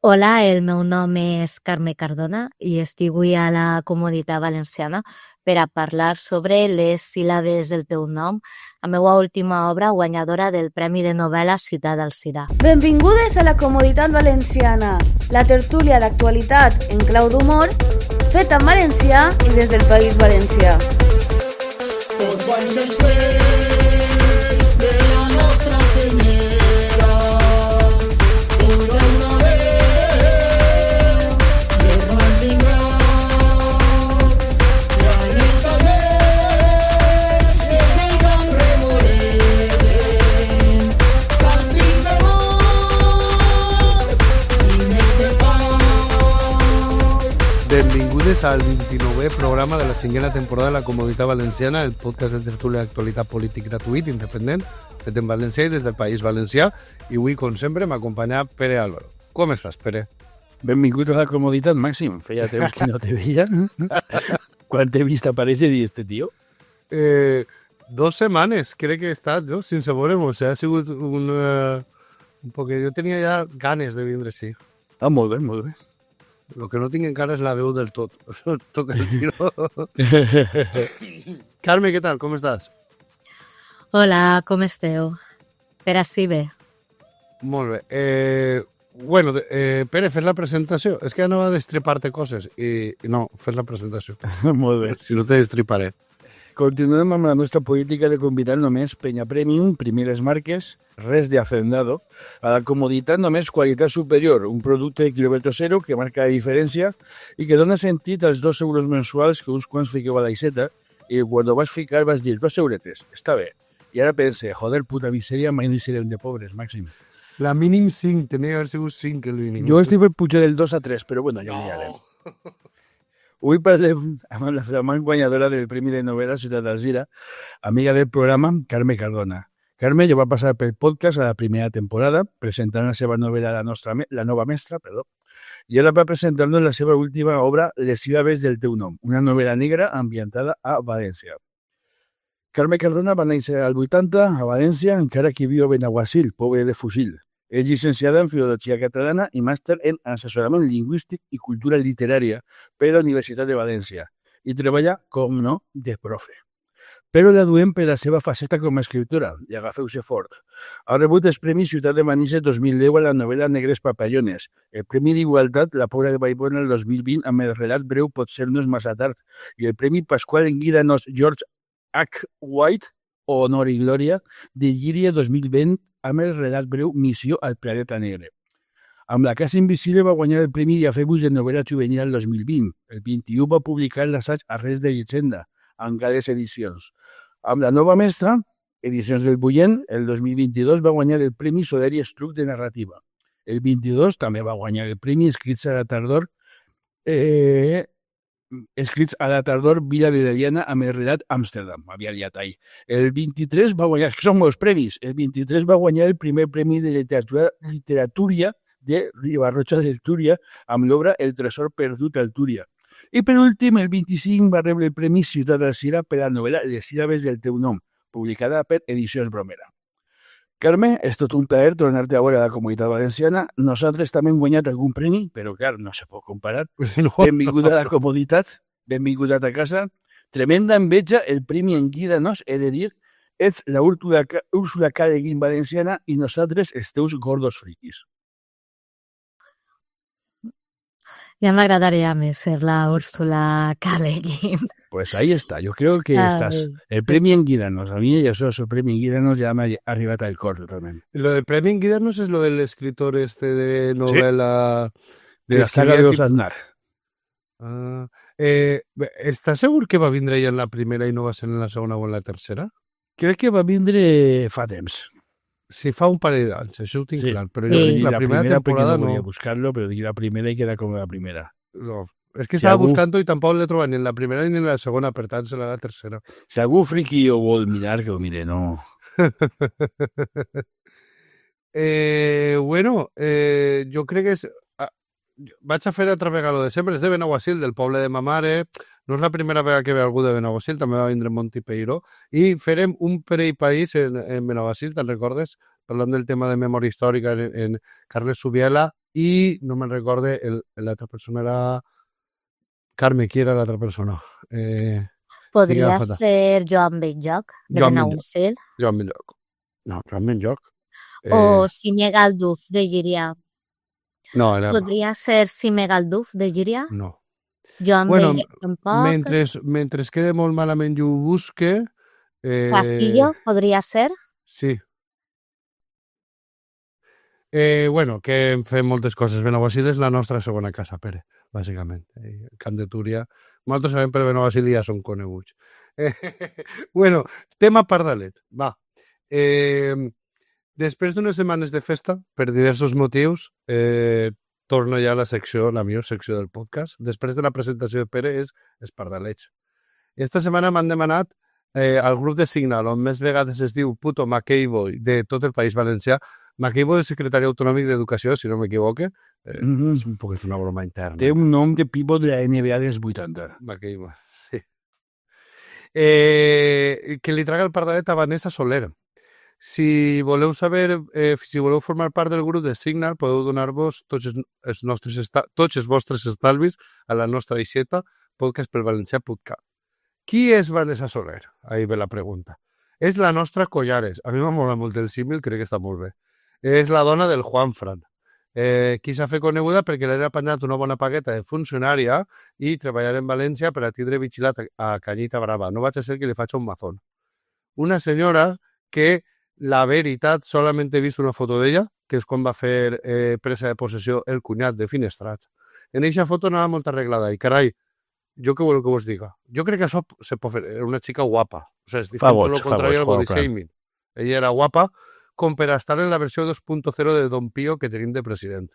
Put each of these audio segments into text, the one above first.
Hola, el meu nom és Carme Cardona i estic avui a la Comunitat Valenciana per a parlar sobre les síl·labes del teu nom, la meva última obra guanyadora del Premi de Novel·la Ciutat d'Alzira. Benvingudes a la Comoditat Valenciana, la tertúlia d'actualitat en clau d'humor, feta en valencià i des del País Valencià. Tots anys després de la nostra senyera, podrà una veu de ras vindrà, la nit també en el camp remolegen, càntics d'amor i més de pau. Benvingudes al 29è programa de la cinquena temporada de la Comoditat Valenciana, el podcast de tertúlia d'actualitat polític gratuït, independent, fet en valencià i des del País Valencià. I avui, com sempre, m'acompanya Pere Álvaro. Com estàs, Pere? Benvingut a la comoditat, Màxim. Feia temps que no te veia. Quan t'he vist aparèixer i este tio? 2 setmanes, crec que he estat, jo, sense veure'm. O sigui, ha sigut un perquè jo tenia ja ganes de vindre, sí. Ah, molt bé, molt bé. El que no tinc encara és la veu del tot. Toca el tiro. Carme, què tal? Com estàs? Hola, com esteu? Per ací bé. Molt bé. Pere, fes la presentació. És que anava a destripar-te coses i no, fes la presentació. Molt bé. Si no te destriparé. Continuem amb la nostra política de convidar només penya premium, primeres marques, res de hacendado. A la comoditat només qualitat superior, un producte de quilòmetre zero que marca la diferència i que dona sentit als 2 euros mensuals que uns quants fiqueu a l'aixeta i quan ho vas ficar vas dir 2 euretes, està bé. I ara pense, joder, puta misèria, mai no hi serem de pobres, Màxim. La mínim 5, tenia que haver sigut 5 el mínim. Jo estic per pujar del 2 a 3, però bueno, ja ho mirarem. Avui parlem amb la flamant guanyadora del Premi de Novel·la Ciutat d'Alzira, amiga del programa, Carme Cardona. Carme ja va passar pel podcast a la primera temporada, presentant la seva novel·la La nova mestra, i ara va presentar-nos la seva última obra, Les síl·labes del teu nom, una novel·la negra ambientada a València. Carme Cardona va néixer al 80 a València, encara que viu a Benaguasil, poble de Fusil. És llicenciada en Filologia Catalana i màster en Assessorament Lingüístic i Cultura Literària per la Universitat de València i treballa, com no, de profe. Però la duem per la seva faceta com a escriptora, i agafeu-se fort. Ha rebut els Premis Ciutat de Manises 2010 a la novel·la Negres papallones, el Premi d'Igualtat La Pobra de Vallbona el 2020 amb el relat breu Potser no és massa tard i el Premi Pasqual en Guidanos George H. White, o Honor i Glòria, de Llíria 2020 amb el relat breu Missió al planeta negre. Amb La casa invisible va guanyar el Premi Diafebus de novel·la juvenil el 2020. El 21 va publicar l'assaig Arrels de llegenda, amb Gales Edicions. Amb La nova mestra, Edicions del Bullent, el 2022 va guanyar el Premi Soler i Estruc de narrativa. El 22 també va guanyar el Premi Escrits a la tardor Vila de Leliana amb el relat Amsterdam, havia liat ahir. El 23 va guanyar, que són molts premis, el 23 va guanyar el primer premi de literatura de Ribarroja del Túria amb l'obra El tresor perdut al Túria. I per últim, el 25 va rebre el Premi Ciutat d'Alzira per la novel·la Les síl·labes del teu nom, publicada per Edicions Bromera. Carme, és tot un plaer tornar-te a veure a la Comunitat Valenciana. Nosaltres també hem guanyat algun premi, però clar, no se pot comparar. Benvinguda a la comoditat, benvinguda a casa. Tremenda enveja, el premi en Guidanos, he de dir, ets la Úrsula K. de Guin valenciana i nosaltres els teus gordos friquis. Ja m'agradaria més ser la Úrsula K. de Guin. Pues ahí está, yo creo que estás. El premio en Guidanos, a mí ya el premio en Guidanos ya me ha arribat al cor realmente. Lo del premio en Guidanos es lo del escritor este de novela... Sí. De la saga de los Aznar. ¿Estás seguro que va a vindre ja en la primera i no va ser en la segona o en la tercera? Crec que va vindre fa temps. Sí, fa un parell d'anys, això ho tinc clar, però Sí. la primera temporada no. no. Volia buscar-lo, però dic la primera i queda com la primera. No. És que estava buscant i tampoc l'he trobat ni en la primera ni en la segona, per tant serà la tercera. Si algú friqui ho vol mirar, que ho mire, no. Jo crec que és... Vaig a fer altra vegada lo de sempre, és de Benaguasil, del poble de ma mare. No és la primera vegada que ve algú de Benaguasil, també va vindre Monti Peiró. I farem un parell país en Benaguasil, te'n recordes? parlant del tema de memòria històrica en Carles Subiela, i no me'n recorde, l'altra persona era... Carme, qui era l'altra persona? Podria ser Joan Benlloc, de Benaguasil. Joan Benlloc. No, Joan Benlloc. O Sime Galduf, de Llíria. No, era... Podria ser Sime Galduf, de Llíria. No. Joan Benlloc tampoc. Mentre quede molt malament i ho busque... Casquillo, podria ser. Sí. Que hem fet moltes coses. Benaguasil és la nostra segona casa, Pere, bàsicament. Camp de Túria. Nosaltres sabem per Benaguasil ja són coneguts. Tema Pardalet. Va. Després d'unes setmanes de festa, per diversos motius, torno ja a la millor secció del podcast. Després de la presentació de Pere és els Pardalets. Esta setmana m'han demanat al grup de Signal, on més vegades es diu Puto McKayboy de tot el País Valencià. McKayboy és secretari autonòmic d'Educació, si no m'equivoque. És un poquet una broma interna. Té un nom de pivot de la NBA dels 80. McKayboy, sí. Que li traga el pardalet a Vanessa Soler. Si voleu saber, si voleu formar part del grup de Signal, podeu donar-vos tots els vostres estalvis a la nostra aixeta, podcastpelvalencià.cat. Qui és Vanessa Soler? Ahí ve la pregunta. És la nostra Collares. A mi m'ha molat molt el símil, crec que està molt bé. És la dona del Juanfran. Qui s'ha fet coneguda perquè l'ha apanyat una bona pagueta de funcionària i treballar en València per a tindre vigilat a Canyita Brava. No vaig a ser que li faig un mazón. Una senyora que, la veritat, solament he vist una foto d'ella, que és quan va fer presa de possessió el cunyat de Finestrat. En eixa foto anava molt arreglada i, carai, jo què voleu que vos diga? Jo crec que això se pot fer. Era una xica guapa. O sigui, és diferent tot el contrari al body shaming. Ella era guapa com per estar en la versió 2.0 de Don Pío que tenim de president.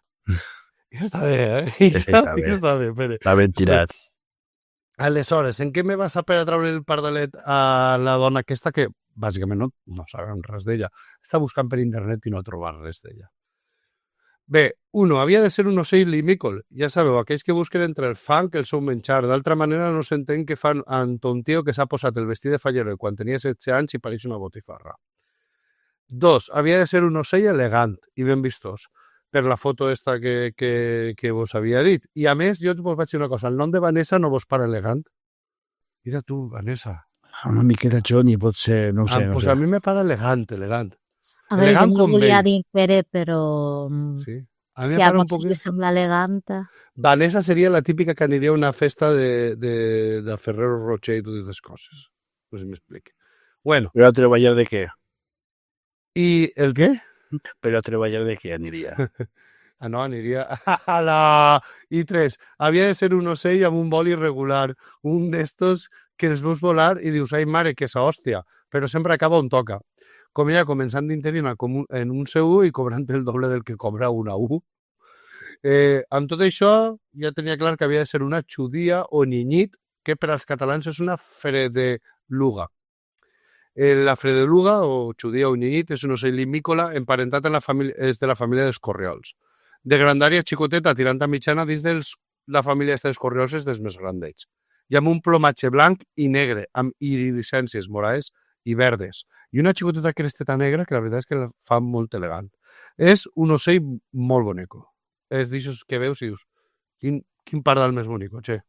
I està bé, Està bé, Pere. L'ha ben tirat. Aleshores, en què me vas a per a treure el pardalet a la dona aquesta que, bàsicament, no sabem res d'ella? Està buscant per internet i no trobar res d'ella. Bé, havia de ser un ocell limícol. Ja sabeu, aquells que busquen entre el fang i el seu menjar. D'altra manera no s'entén que fan amb ton tio que s'ha posat el vestit de fallero quan tenia 16 anys i pareix una botifarra. 2. Havia de ser un ocell elegant i ben vistós, per la foto esta que vos havia dit. I a més, jo vos vaig dir una cosa, el nom de Vanessa no vos para elegant? Mira tu, Vanessa. Una miqueta Johnny, pot ser, no ho sé. Pues a mi me para elegant. A veure, jo no volia dir Pere, però... Sí. A mi si a potser li sembla eleganta. Vanessa seria la típica que aniria a una festa de Ferrero Rocher i totes aquestes coses. No sé si m'explico. Bueno. Però a treballar de què? I el què? Però a treballar de què aniria? No, aniria a la... I 3. Havia de ser un ocell amb un vol irregular. Un d'estos que els veus volar i dius, ai mare, que esa hòstia. Però sempre acaba on toca. Com ella començant d'interina en un C1 i cobrant el doble del que cobra una U. Amb tot això, ja tenia clar que havia de ser una xudia o ninyit, que per als catalans és una fredeluga. La fredeluga, o xudia o ninyit, és un ocell limícola emparentat és de la família dels corriols. De grandària xicoteta, tirant a mitjana, dins de la família dels corriols és dels més grandets. I amb un plomatge blanc i negre, amb iridescències morades i verdes. I una xicoteta cresteta negra que la veritat és que la fa molt elegant. És un ocell molt bonico. És d'aixòs que veus i dius, quin pardal més bonico, che.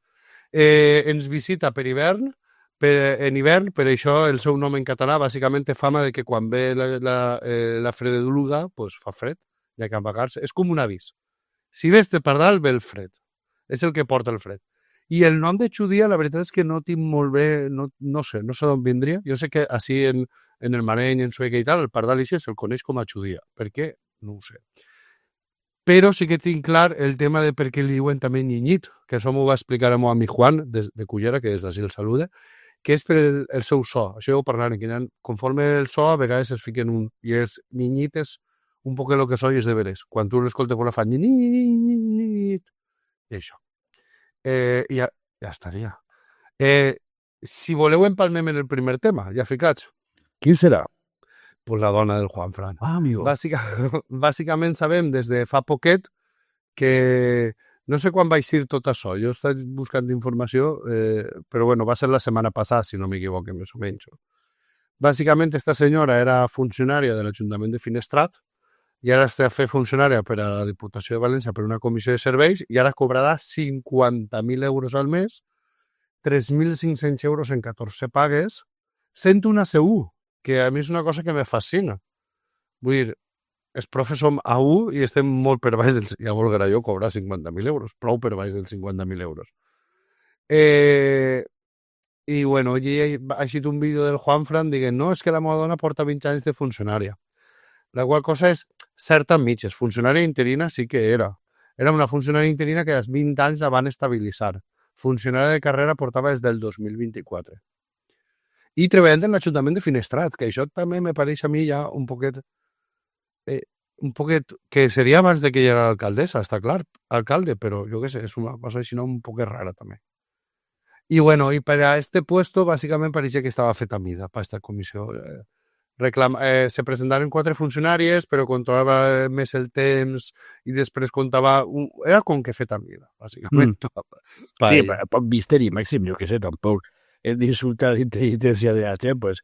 Ens visita per hivern, en hivern, per això el seu nom en català bàsicament té fama de que quan ve la fredeluga, pues fa fred, hi ha que amagar-se. És com un avís. Si ves de pardal, ve el fred. És el que porta el fred. I el nom de xudia, la veritat és que no tinc molt bé, no sé d'on vindria. Jo sé que així en el Mareny, en Sueca i tal, el pardal així se'l coneix com a xudia. Per què? No ho sé. Però sí que tinc clar el tema de per què li diuen també ninyit, que això m'ho va explicar a meu amic Juan, de Cullera, que des d'ací el saluda, que és per el seu so. Això ja ho parlarem, que conforme el so, a vegades es fiquen un... I els ninyit és un poc el que soy és de veres. Quan tu l'escoltes, la fa ninyit. I això. I ja estaria. Si voleu empalmem en el primer tema, ja ficats. Quin serà? Pues la dona del Juanfran. Amigo. Bàsicament sabem des de fa poquet que no sé quan va eixir tot això. Jo he estat buscant informació, però bueno, va ser la setmana passada, si no m'equivoque, més o menys. Bàsicament, esta senyora era funcionària de l'Ajuntament de Finestrat i ara està fent funcionària per a la Diputació de València per una comissió de serveis i ara cobrarà 50.000 euros al mes, 3.500 euros en 14 pagues, sent una C1, que a mi és una cosa que me fascina. Vull dir, els profes som A1 i estem molt per baix dels... Ja volguera jo cobrar 50.000 euros, prou per baix dels 50.000 euros. I, bueno, ha eixit un vídeo del Juanfran dient no, és que la meva dona porta 20 anys de funcionària. La qual cosa és certa mitges. Funcionària interina sí que era. Era una funcionària interina que als 20 anys la van estabilitzar. Funcionària de carrera portava des del 2024. I treballant en l'Ajuntament de Finestrat, que això també me pareix a mi ja un poquet que seria abans de que ella era alcaldessa, està clar, alcalde, però jo què sé, és una cosa així un poquet rara també. I bueno, i per a este puesto, bàsicament pareixia que estava feta a mida per esta comissió. Se presentaren 4 funcionàries, però controlava més el temps i després comptava... Era com que feta a mida, bàsicament. Sí, poc misteri, Màxim, jo què sé, tampoc hem d'insultar l'intel·ligència de la gent, pues...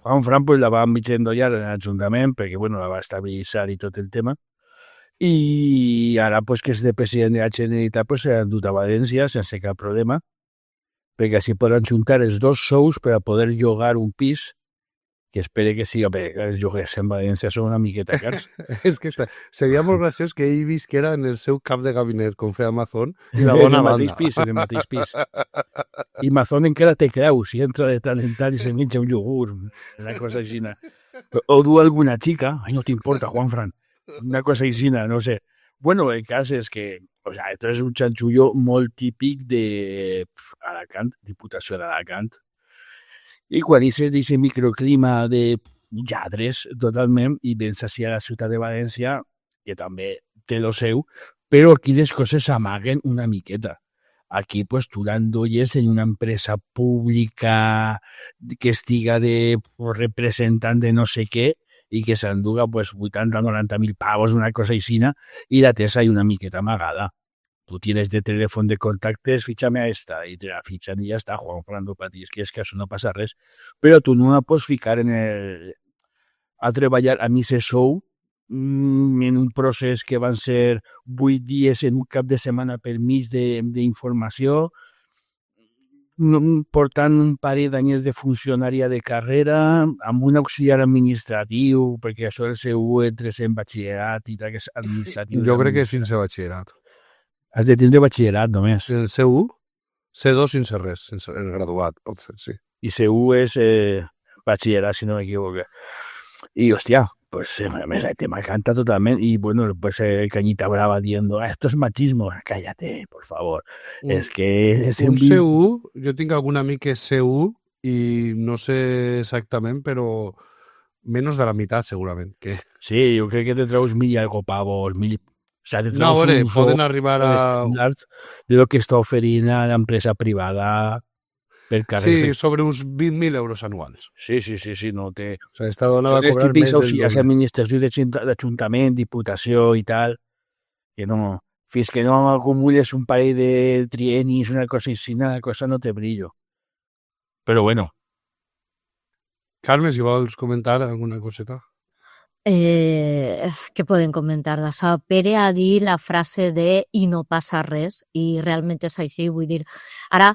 Juanfran pues, la va mig endollar en l'Ajuntament perquè bueno, la va estabilitzar i tot el tema. I ara pues, que és de president de la Generalitat pues, s'ha endut a València sense cap problema perquè així poden juntar els dos sous per a poder llogar un pis que espere que sigui, els lloguers en València són una miqueta cars. És que seria molt graciós que ell visquera en el seu cap de gabinet com feia Amazon i la bona banda. En el mateix pis. I Amazon encara té creus i entra de tant en tant i se menja un iogurt, una cosa així. O du alguna xica, no t'importa, Juanfran, una cosa així, no sé. Bueno, el cas és que esto és un xanxullo molt típic de Alacant, Diputació d'Alacant. I quan dices d'aquest microclima de lladres totalment i vens així a la ciutat de València, que també té lo seu, però aquí les coses s'amaguen una miqueta. Aquí pues, tu l'endolles en una empresa pública que estiga de representant de no sé què i que s'enduga pues, 80-90.000 pavos, una cosa aixina, i la tens ahí una miqueta amagada. Tu tienes de teléfono de contactes, fíchame a esta, y te la fichan y ya está, Juanfran, para ti, és que això no passa res. Però tu no la pots ficar a treballar a mi se sou en un procés que van ser 8 dies en un cap de setmana per mig d'informació, portant un parell d'anyers de funcionària de carrera, amb un auxiliar administratiu, perquè això del seu entres en batxillerat i tal, que és administratiu. Jo crec que és fins a batxillerat. Has de tindre batxillerat només. El C1, C2 sense res, sense el graduat, potser, sí. I C1 és batxillerat, si no m'equivoco. Y hostia, pues el tema canta totalmente. Y bueno, pues Cañita Brava diciendo, esto es machismo. Cállate, por favor. Es que... És un C1, jo tinc algun amic que és C1 i no sé exactament, però menos de la meitat segurament. Que... Sí, jo crec que te treus 1.000 i algo pavos, 1.000... O sea, no, a veure, poden arribar a... de lo que està oferint a l'empresa privada... Sí, sobre uns 20.000 euros anuals. Sí, no té... O sigui, esta dona va cobrar més del doble. És administració d'Ajuntament, Diputació i tal, que no... Fins que no acumules un parell de trienis, una cosa així, la cosa no té brillo. Però bueno. Carme, si vols comentar alguna coseta. Què podem comentar d'això? Pere ha dit la frase de i no passa res, i realment és així, vull dir, ara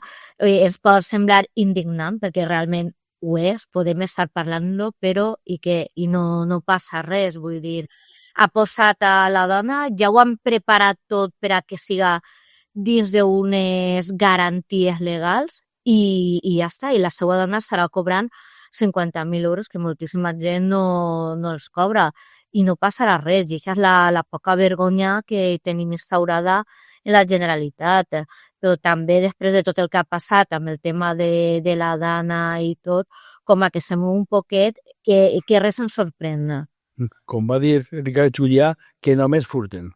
es pot semblar indignant, perquè realment ho és, podem estar parlant-lo, però i no passa res, vull dir, ha posat a la dona, ja ho han preparat tot per a que siga dins d'unes garanties legals, i ja està, i la seva dona estarà cobrant 50.000 euros que moltíssima gent no els cobra i no passarà res, i això és la poca vergonya que tenim instaurada en la Generalitat. Però també després de tot el que ha passat amb el tema de la dana i tot, com a que se mou un poquet que res ens sorprèn. Com va dir Ricard Julià, que només furten.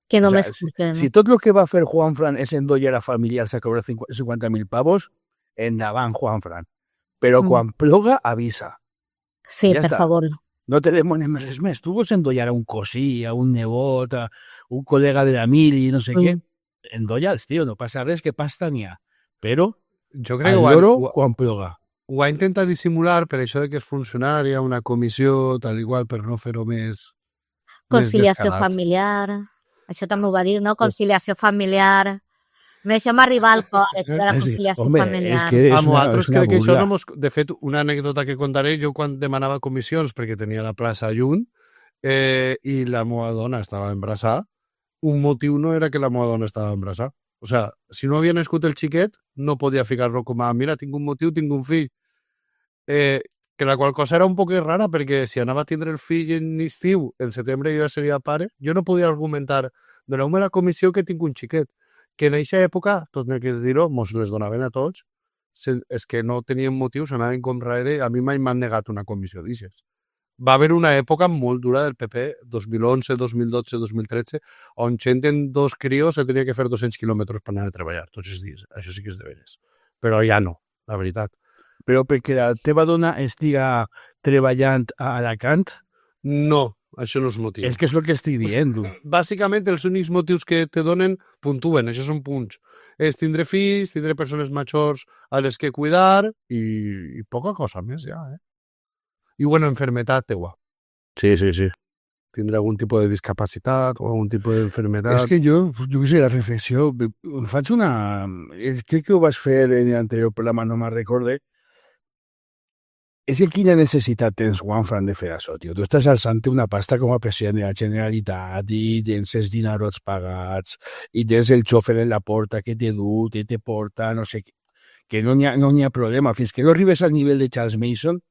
Que només furten. Si tot el que va fer Juanfran és endollar a familiars a cobrar 50.000 pavos, endavant, Juanfran. Però quan ploga, avisa. Sí, per favor. No te demanem res més. Tu vols endollar a un cosí, a un nebot, a un col·lega de la mili, no sé què. Endolla'ls, tio, no passa res, que pasta n'hi ha. Però, jo crec al lloro, quan ploga. ho ha intentat dissimular per això de que és funcionària, una comissió, tal igual, per no fer-ho més Conciliació descarat. familiar. Això també ho va dir, no? Conciliació familiar. Deixa'm arribar al cor, això de la Sí, conciliació home, familiar. és que és Amb una, nosaltres és una crec que això burla. no mos... De fet, una anècdota que contaré, jo quan demanava comissions perquè tenia la plaça lluny i la meva dona estava embarassada, un motiu no era que la meva dona estava embarassada. O sea, si no havia nascut el xiquet, no podia ficar-lo com a mira, tinc un motiu, tinc un fill. Que la qual cosa era un poc rara perquè si anava a tindre el fill en estiu, en setembre jo ja seria pare, jo no podia argumentar doneu-me la comissió que tinc un xiquet. Que en aquesta època, tot n'he de dir-ho, mos les donaven a tots, és que no tenien motius, anaven com rere, a mi mai m'han negat una comissió d'aixes. Va haver una època molt dura del PP, 2011, 2012, 2013, on gent en 2 crios se tenia que fer 200 quilòmetres per anar a treballar tots els dies. Això sí que és de veres. Però ja no, la veritat. Però perquè la teva dona estiga treballant a Alacant, No, això no és motiu. és que és el que estic dient. Bàsicament, els únics motius que te donen puntuen, això són punts. És tindre fills, tindre persones majors a les que cuidar i poca cosa més ja, I bueno, enfermetat teua. Sí, sí, sí. Tindre algun tipus de discapacitat o algun tipus d'enfermetat. És que jo què sé, la reflexió, em faig una... Crec que ho vas fer en l'anterior programa, no me'n recorde. És que quina necessitat tens, Juanfran, de fer això, tio? Tu estàs alçant una pasta com a president de la Generalitat i tens els dinarots pagats i tens el xòfer en la porta que te du, te porta, no sé què. Que no n'hi ha problema. Fins que no arribes al nivell de Charles Mason,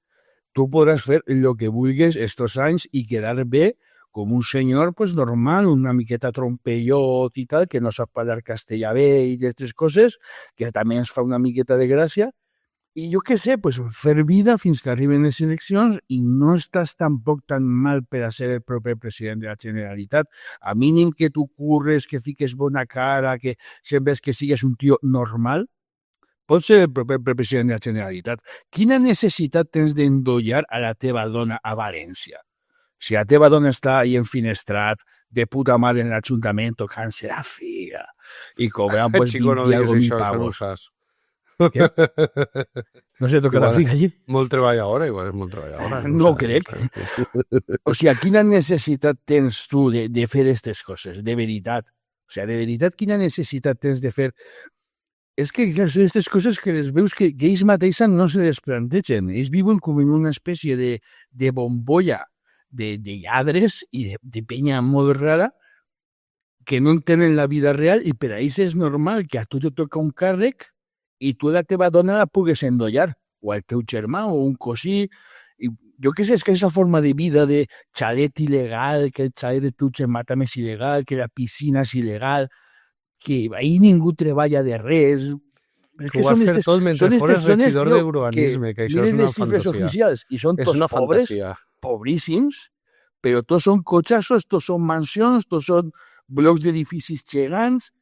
tu podràs fer el que vulguis estos anys i quedar bé com un senyor pues, normal, una miqueta trompellot i tal, que no sap parlar castellà bé i d'aquestes coses, que també ens fa una miqueta de gràcia. I jo què sé, pues, fer vida fins que arriben les eleccions i no estàs tampoc tan mal per a ser el proper president de la Generalitat. A mínim que tu curres, que fiques bona cara, que sembles que sigues un tio normal, pots ser el proper president de la Generalitat. Quina necessitat tens d'endollar a la teva dona a València? Si la teva dona està ahí enfinestrat, de puta mare en l'Ajuntament, tocant-se la figa i cobrant pues, Chico, no 20 digues algo mil això no ho pavos. saps. No se toca la Igual, figa allí? Molt treballadora, igual és molt treballadora. No sé, crec. sé. O sigui, quina necessitat tens tu de fer aquestes coses, de veritat? O sigui, de veritat, quina necessitat tens de fer? És que clar, són aquestes coses que les veus que ells mateixos no se les plantegen. Ells viuen com en una espècie de bombolla de lladres i de penya molt rara que no entenen la vida real i per a ells és normal que a tu te toca un càrrec i tu la teva dona la pugues endollar, o el teu germà, o un cosí. I jo què sé, és que aquesta forma de vida de xalet il·legal, que el xalet de Tutxe mata més il·legal, que la piscina és il·legal, que ahir ningú treballa de res. És Que ho vas fer tot mentre fores regidor tio, d'urbanisme, que això és miren una les xifres fantasia. oficials i són És tots una pobres, fantasia. pobríssims, però tots són cotxassos, tots són mansions, tots són blocs d'edificis gegants,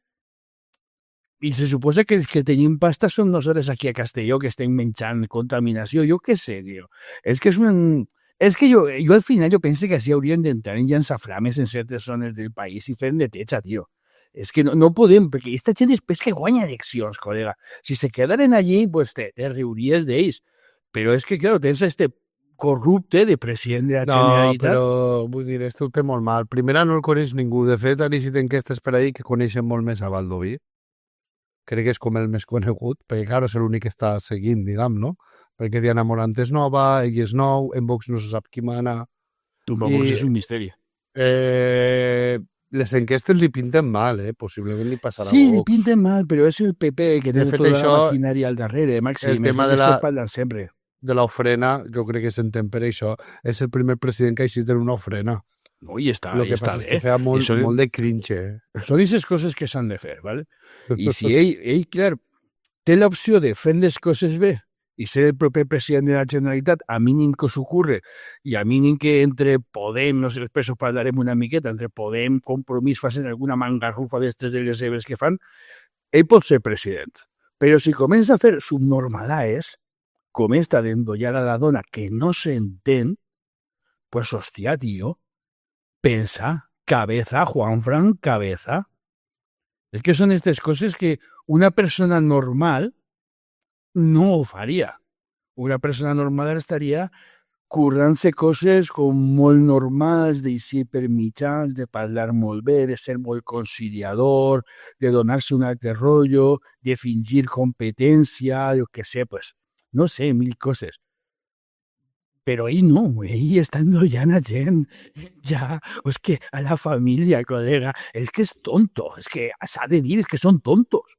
i se suposa que els que tenim pasta són nosaltres aquí a Castelló, que estem menjant contaminació, jo què sé, tio. És que és un... És que jo al final jo penso que així haurien d'entrar en llançaflames en certes zones del país i fer neteja, tio. És que no podem, perquè aquesta gent després que guanya eleccions, col·lega. Si se quedaren allí, pues te riuries d'ells. Però és que, clar, tens este corrupte de president de la No, Generalitat. però vull dir, este ho té molt mal. Primera, no el coneix ningú. De fet, han eixit enquestes per ahir que coneixen molt més a Baldoví. Crec que és com el més conegut, perquè, clar, és l'únic que està seguint, diguem, no? Perquè Diana Morant és nova, ell és nou, en Vox no se sap qui mana. Tu, vamos, I- és un misteri. Les enquestes li pinten mal, Possiblement li passarà Sí, a li Vox. pinten mal, però és el PP que De té fet, tota això- la maquinària al darrere, Maxi. el tema de la- parlant sempre. De l'ofrena, jo crec que s'entén per això. És el primer president que ha eixit en una ofrena. No, i està, El que està passa és bé. que feia molt, Això- molt de cringe. Són aquestes coses que s'han de fer, ¿vale? I si ell, clar, té l'opció de fer les coses bé i ser el proper president de la Generalitat, a mínim que s'ocorre, i a mínim que entre Podem, no sé, després ho parlarem una miqueta, entre Podem, Compromís, facin alguna mangarrufa d'estes de les seves que fan, ell pot ser president. Però si comença a fer subnormalades, com esta d'endollar a la dona que no s'entén, pues hòstia, tio, pensa, cabeza, Juanfran, cabeza. És que són aquestes coses que una persona normal no ho faria. Una persona normal estaria currant-se coses com molt normals, d'eixir per mitjans, de parlar molt bé, de ser molt conciliador, de donar-se un altre rotllo, de fingir competència, jo què sé, pues, no sé, mil coses. Però ell no, ell està enrollant a gent, ja, és que a la família, col·lega, és que és tonto, és que s'ha de dir, és que són tontos.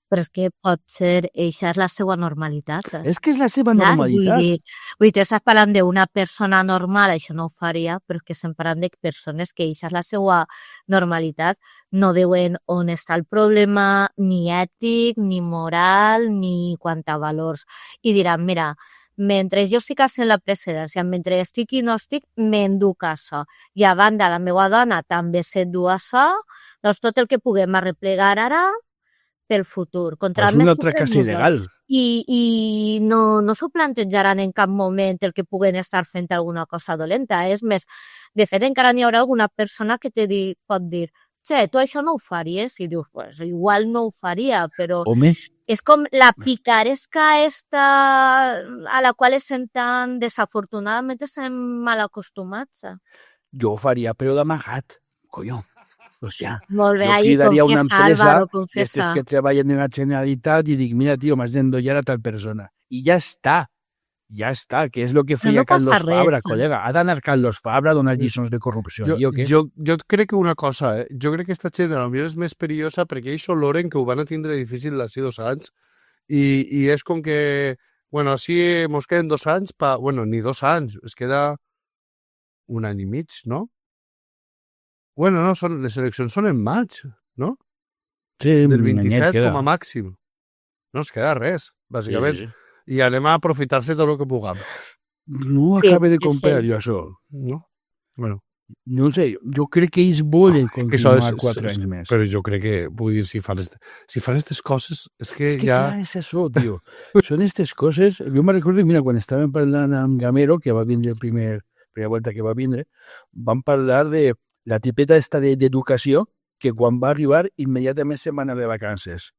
Però és que pot ser, eixa és la seva normalitat. És que és la seva Clar, normalitat. vull dir, tu estàs parlant d'una persona normal, això no ho faria, però és que estem parlant de persones que eixa és la seva normalitat, no veuen on està el problema, ni ètic, ni moral, ni quant a valors. I diran, mira, mentre jo estic sent la precedència, mentre estic i no estic, m'enduc això. I a banda, la meva dona també s'endú això, doncs tot el que puguem arreplegar ara pel futur. Contra És un altre cas il·legal. I no s'ho plantejaran en cap moment el que puguen estar fent alguna cosa dolenta. És més, de fet, encara n'hi haurà alguna persona que pot dir che, tu això no ho faries? I dius, pues igual no ho faria, però Home, és com la picaresca esta a la qual estem tan, desafortunadament, estem mal acostumats. jo ho faria, però d'amagat, colló. Pues ja. Molt bé, Jo ahí cridaria una confiesa, empresa Álvaro, d'aquestes confiesa. que treballen en la Generalitat i dic, mira, tio, m'has d'endollar a tal persona. I ja està, que és el que feia no passa Carlos Fabra, res. col·lega. Ha d'anar Carlos Fabra a donar lliçons de corrupció. Jo, o què? jo crec que una cosa, jo crec que esta gent potser és més perillosa perquè ells oloren que ho van a tindre difícil d'ací 2 anys i és com que, bueno, així mos queden 2 anys, bueno, ni 2 anys, es queda 1 any i mig, no? Bueno, no, les eleccions són en maig, no? Sí, Del un anyet 27 queda. com a màxim. No es queda res, bàsicament. Sí, sí, sí. I anem a aprofitar-se tot el que puguem, No Sí, acaba de sí, comprar sí. jo això. no? Bueno, No sé, jo crec que ells volen que això continuar és, 4 anys més. però jo crec que, vull dir, si fan aquestes coses, és que És que ja... clar, és això, tio. Són aquestes coses... Jo me recordo, mira, quan estàvem parlant amb Gamero, que va vindre primera volta que va vindre, vam parlar de la tipeta esta d'educació, que quan va arribar immediatament se'n va anar de vacances.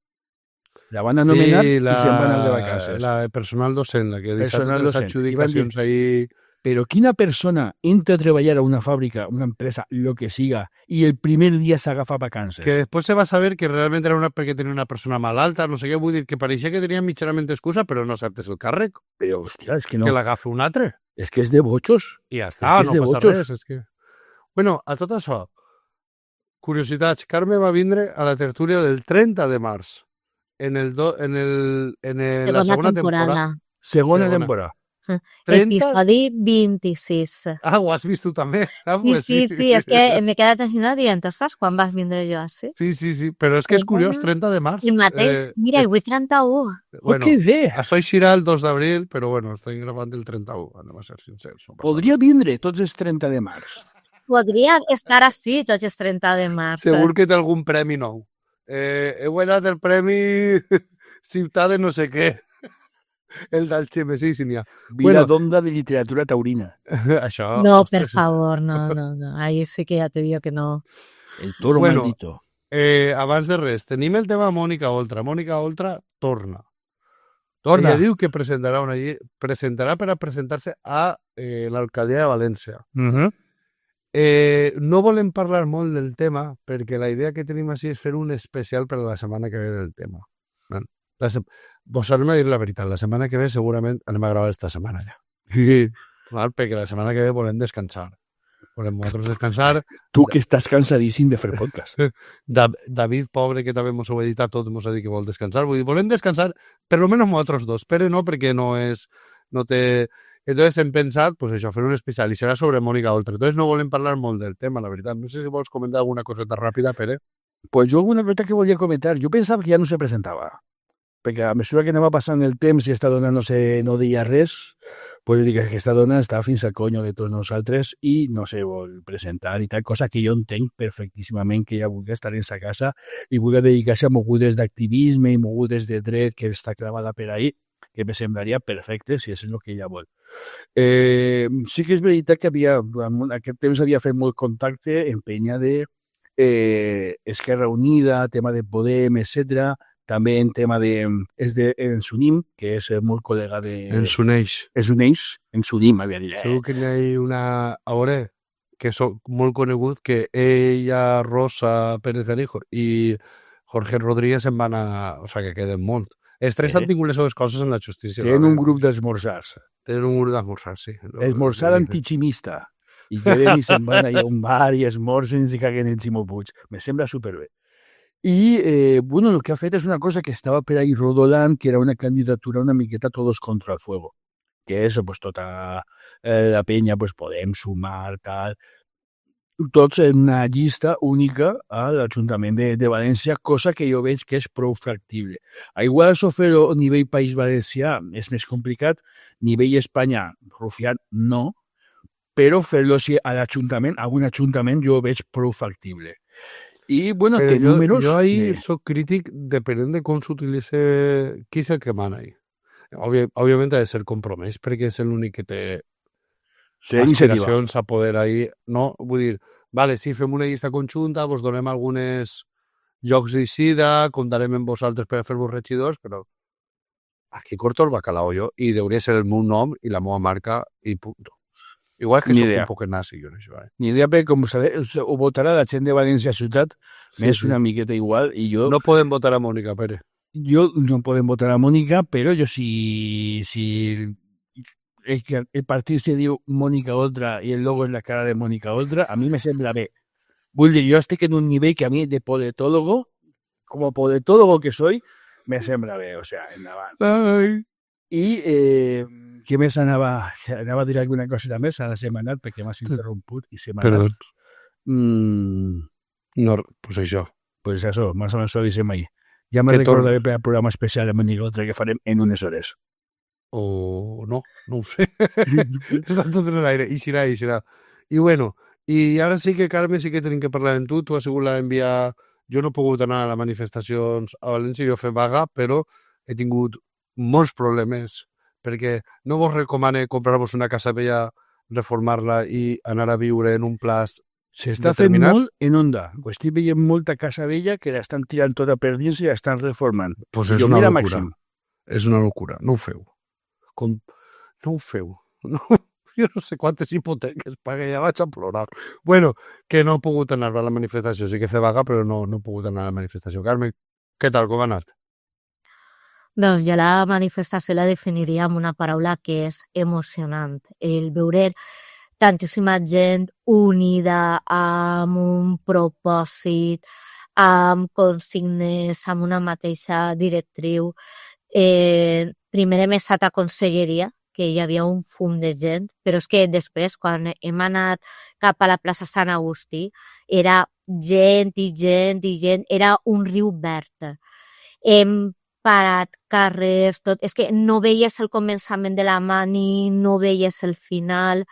La van anomenar i se'n va anar de vacances. La de personal docent, la que deixa Personal totes les docent. adjudicacions ahí... Però quina persona entra a treballar a una fàbrica, una empresa, lo que siga, i el primer dia s'agafa vacances? Que després se va saber que realment era perquè tenia una persona malalta, no sé què, vull dir, que pareixia que tenia mitjanament excusa, però no acceptes el càrrec, Però, hòstia, és que no. que l'agafa un altre. És que és de botxos. I ja està, és no de passa botxos. res. És que... Bueno, a tot això, curiositats, Carme va vindre a la tertúlia del 30 de març, en la segona temporada. Segona Segona. temporada. 30? Episodi 26. Ah, ho has vist tu també? Ah, Sí, pues sí, és que m'he quedat així dient, saps quan vas vindre jo així? Sí, però és que és curiós, 30 de març. El mateix, mira, avui 31. Bueno, que bé! això eixirà el 2 d'abril, però bueno, estem gravant el 31, anem a ser sincers. No passa Podria vindre tots els 30 de març. Podria estar així tots els 30 de març. Segur que té algun premi nou. He guanyat el premi Ciutat de no sé què. El del Xime, sí, n'hi ha. Vila d'Onda de literatura taurina. Això... No, ostres, per favor, no. Ahí sí que ja te digo que no. El toro Bueno, maldito. Abans de res, tenim el tema Mònica Oltra. Mònica Oltra torna. Torna. Ella diu que presentarà una llei, presentarà per a presentar-se a l'alcaldia de València. No volem parlar molt del tema perquè la idea que tenim així és fer un especial per a la setmana que ve del tema. Vos anem a dir la veritat, la setmana que ve segurament anem a gravar esta setmana ja. Val? Perquè la setmana que ve volem descansar. Volem nosaltres descansar. Tu que estàs cansadíssim de fer podcast. David, pobre, que també mos ho ha editat tot, mos ha dit que vol descansar. Vull dir, volem descansar, per lo menos nosaltres dos. Pere no, perquè no té... Entonces hem pensat, pues això, fer un especial, i serà sobre Mònica Oltra. Entonces no volem parlar molt del tema, la veritat. No sé si vols comentar alguna coseta ràpida, Pere. Pues jo alguna cosa que volia comentar. Jo pensava que ja no se presentava. Perquè a mesura que anava passant el temps i esta dona no deia res, pues dic que aquesta dona està fins al conyo de tots nosaltres i no se vol presentar i tal, cosa que jo entenc perfectíssimament que ella vulgui estar en sa casa i vulgui dedicar-se a mogudes d'activisme i mogudes de dret que està clavada per ahí, que me semblaria perfecte si és el que ella vol. Sí que és veritat que durant aquest temps havia fet molt contacte en penya de Esquerra Unida, tema de Podem, etc. també en tema en Sunim, que és molt col·lega de... En s'uneix. En Sunim, havia dit. Segur que n'hi ha una... A veure, que soc molt conegut, que ella, Rosa Pérez Arijo i Jorge Rodríguez se'n van a... O sigui, que queden molt. Els tres han tingut les seves coses en la justícia. Tenen un grup d'esmorzars. Tenen un grup d'esmorzars, sí. Esmorzar antichimista. I queden i se'n van allà a un bar i esmorzen i caguen en Ximo Puig. Me sembla superbé. I, bueno, el que ha fet és una cosa que estava per ahí rodolant, que era una candidatura una miqueta todos contra el fuego. Que és, pues, tota la penya, pues, podem sumar, tal... Tots en una llista única a l'Ajuntament de València, cosa que jo veig que és prou factible. Igual això fer-ho a nivell País Valencià és més complicat, nivell Espanya, rufiat, no, però fer-lo a l'Ajuntament, a un Ajuntament, jo ho veig prou factible. I, bueno, té números... Jo ahí soc crític depenent de com s'utilitza qui és el que mana ahí. Òbviament ha de ser compromès, perquè és l'únic que té aspiracions a poder ahí, no? Vull dir, vale, si fem una llista conjunta, vos donem algunes llocs d'eixida, comptarem amb vosaltres per a fer-vos regidors, però aquí corto el bacalao jo, i hauria ser el meu nom i la meva marca, i punt. Igual que soc un poc nazi, jo, això. Ni idea, perquè com sabeu, ho votarà la gent de València Ciutat, m'és una miqueta igual, i jo... No podem votar a Mònica Pérez. Jo no podem votar a Mònica, però jo si el partit se diu Mònica Oltra i el logo és la cara de Mònica Oltra, a mi me sembla bé. Vull dir, jo estic en un nivell que a mi de politólogo, como politólogo que soy, me sembla bé, o sea, endavant. Ai. I què més anava a dir alguna cosa més a la setmanat perquè m'has interromput i setmanat. Perdó. No, pues això. Pues això, més o menys ho dissem ahir. Ja me recordaré per al programa especial de Mònica Oltra que farem en unes hores. O no, no ho sé. Està tot en l'aire. I serà. I bueno, i ara sí que, Carme, sí que tenim que parlar amb tu. Tu has sigut l'enviar... Jo no he pogut anar a les manifestacions a València, jo he fet vaga, però he tingut molts problemes perquè no vos recomane comprar-vos una casa vella, reformar-la i anar a viure en un plaç s'està fent molt en Onda. Estic veient molta casa vella que l'estan tirant tota per dins i l'estan reformant. Pues és una locura. És una locura. No ho feu. No ho feu. No, jo no sé quantes hipoteques pagué, ja vaig a plorar. Bueno, que no he pogut anar a la manifestació. Sí que fer vaga, però no he pogut anar a la manifestació. Carme, què tal? Com ha anat? Doncs jo la manifestació la definiria amb una paraula que és emocionant. El veure tantíssima gent unida amb un propòsit, amb consignes, amb una mateixa directriu. Primer hem estat a Conselleria, que hi havia un fum de gent, però és que després, quan hem anat cap a la plaça Sant Agustí, era gent i gent i gent, era un riu verd. Hem parat carrers, tot. És que no veies el començament de la mani, no veies el final,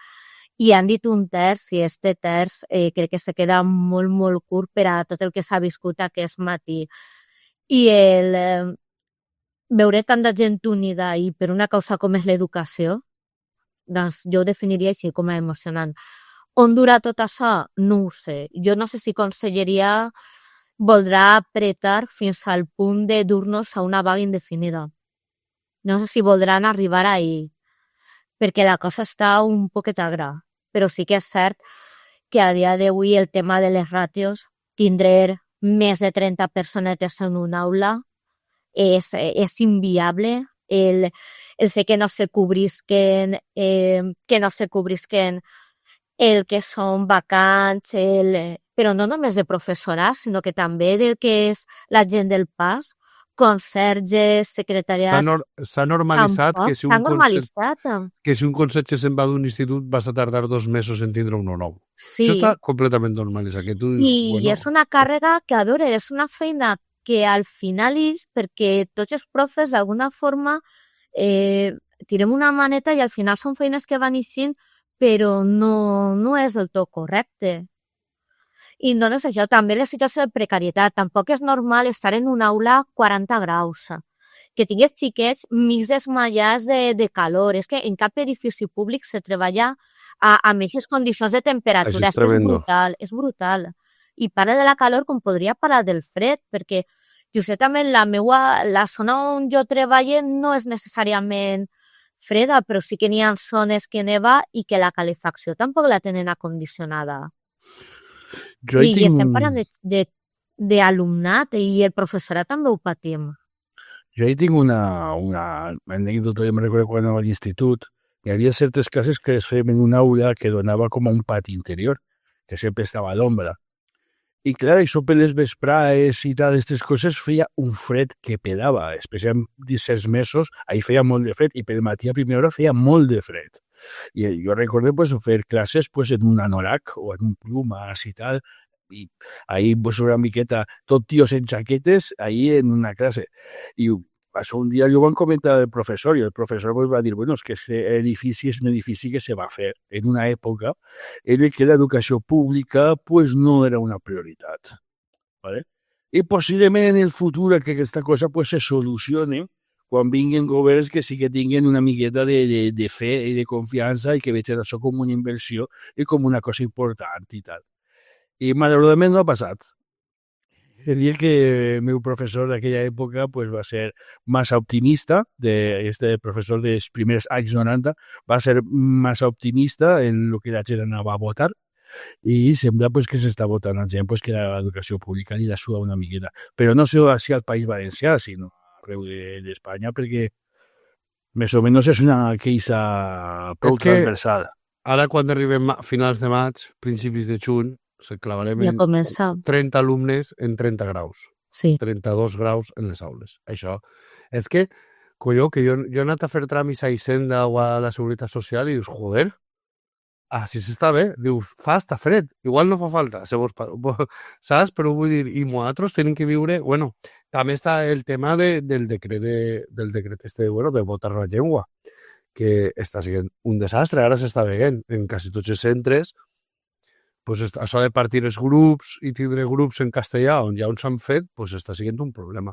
i han dit un terç, i este terç crec que se queda molt, molt curt per a tot el que s'ha viscut aquest matí. I el veure tanta gent unida i per una causa com és l'educació, doncs jo ho definiria així com a emocionant. On durà tot això? No ho sé. Jo no sé si Conselleria voldrà apretar fins al punt de dur-nos a una vaga indefinida. No sé si voldran arribar ahí, perquè la cosa està un poquet agra. Però sí que és cert que a dia d'avui el tema de les ràtios, tindre més de 30 personetes en una aula, és inviable. El fet que no se cobrisquen el que són vacants, però no només de professorat, sinó que també del que és la gent del pas, conserges, secretariat... S'ha normalitzat que si un conserge se'n va d'un institut vas a tardar 2 mesos en tindre un nou. Sí. Això està completament normalitzat. I és una càrrega que, a veure, és una feina que al final és perquè tots els profes d'alguna forma tirem una maneta i al final són feines que van eixint, però no és del tot correcte. I no és això, també la situació de precarietat. Tampoc és normal estar en una aula 40 graus, que tingués xiquets mig desmaiats de calor. És que en cap edifici públic se treballa amb aquestes condicions de temperatura. És brutal. I parla de la calor com podria parlar del fred, perquè justament la zona on jo treballo no és necessàriament freda, però sí que n'hi ha zones que neva i que la calefacció tampoc la tenen acondicionada. Jo I estem parlant d'alumnat i el professorat també ho patim. Jo hi tinc una anècdota, jo me'n recordo quan anava a l'institut, hi havia certes classes que es feien en una aula que donava com a un pati interior, que sempre estava a l'ombra. I clar, això per les vesprades i tal, aquestes coses feia un fred que pedava, especialment 17 mesos, ahir feia molt de fred i per matí a primera hora feia molt de fred. I jo recordo pues, fer classes pues, en un anorac o en un plumas i tal, i ahir pues, una miqueta, tot tios en jaquetes, ahir en una classe. I això un dia jo van comentar al professor i el professor pues, va dir, bueno, és que este edifici és un edifici que se va fer en una època en què l'educació pública pues, no era una prioritat. ¿Vale? I possiblement en el futur que aquesta cosa pues, se solucione quan vinguin governs que sí que tinguin una miqueta de fe i de confiança i que vegin això com una inversió i com una cosa important i tal. I malauradament no ha passat. Diría que mi profesor de aquella època pues, va ser massa optimista, este professor dels primers anys 90 va ser massa optimista en el que la gent anava a votar i sembla pues, que s'està votant la gent pues, que l'educació pública li la suda una miqueta. Però no sé si al País Valencià, sinó arreu d'Espanya, perquè més o menys és una queixa prou transversal. Ara, quan arribem a finals de maig, principis de juny, se clavarem Ja comença. 30 alumnes en 30 graus. Sí. 32 graus en les aules. Això és que, colló, que jo he anat a fer tràmits a Hisenda o a la Seguretat Social i dius, joder, així s'està bé. Dius, està fred, igual no fa falta, saps? Però vull dir, i nosaltres tenim que viure... Bueno, també està el tema del decret de votar la llengua, que està sent un desastre. Ara s'està veient en quasi tots els centres pues això de partir els grups i tindre grups en castellà on ja uns s'han fet, pues està sent un problema.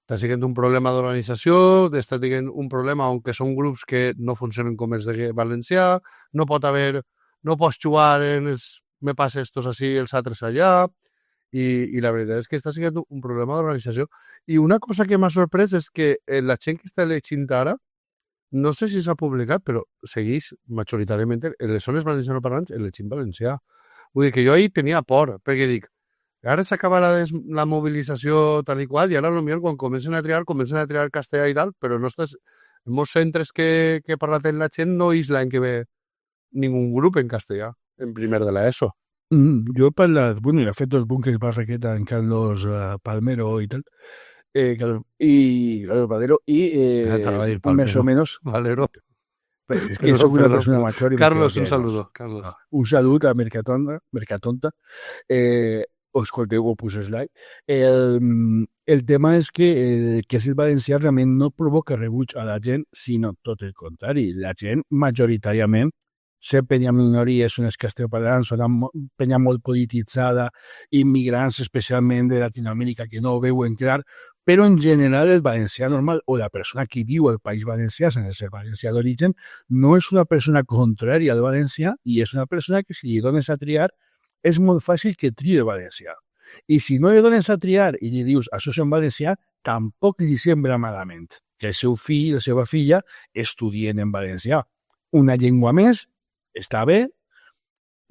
Està sent un problema d'organització, està sent un problema on que són grups que no funcionen com els de valencià, no pots jugar en els me passa estos així, els altres allà, i la veritat és que està sent un problema d'organització. I una cosa que m'ha sorprès és que la gent que està elegint ara, no sé si s'ha publicat, però segueix majoritàriament en les zones valencianoparlants elegint valencià. Vull dir que jo ahir tenia por, perquè dic, ara s'acaba la mobilització tal i qual, i ara potser quan comencen a triar castellà i tal, però no estàs... En molts centres que parlen la gent no és l'any que ve ningú grup en castellà, en primer de l'ESO. Jo he parlat, bueno, he fet dos búnquers Barraqueta en Carlos Palmero i tal, y Carlos Valero más o menos Valero. Es que soy una persona mayor. Carlos, un saludo. Carlos. Un saludo a Mercatonta. Os escolteu o puse slide. El tema és que és el valencià realment no provoca rebuig a la gent, sinó tot el contrari. La gent majoritàriament ser penya minoria són els castellanoparlants, són penya molt polititzada, immigrants especialment de Latinoamèrica que no ho veuen clar, però en general el valencià normal o la persona que viu al País Valencià sense ser valencià d'origen no és una persona contrària al valencià i és una persona que si li dones a triar és molt fàcil que triï el valencià. I si no li dones a triar i li dius això és en valencià, tampoc li sembla malament que el seu fill o la seva filla estudien en valencià. Una llengua més, està bé,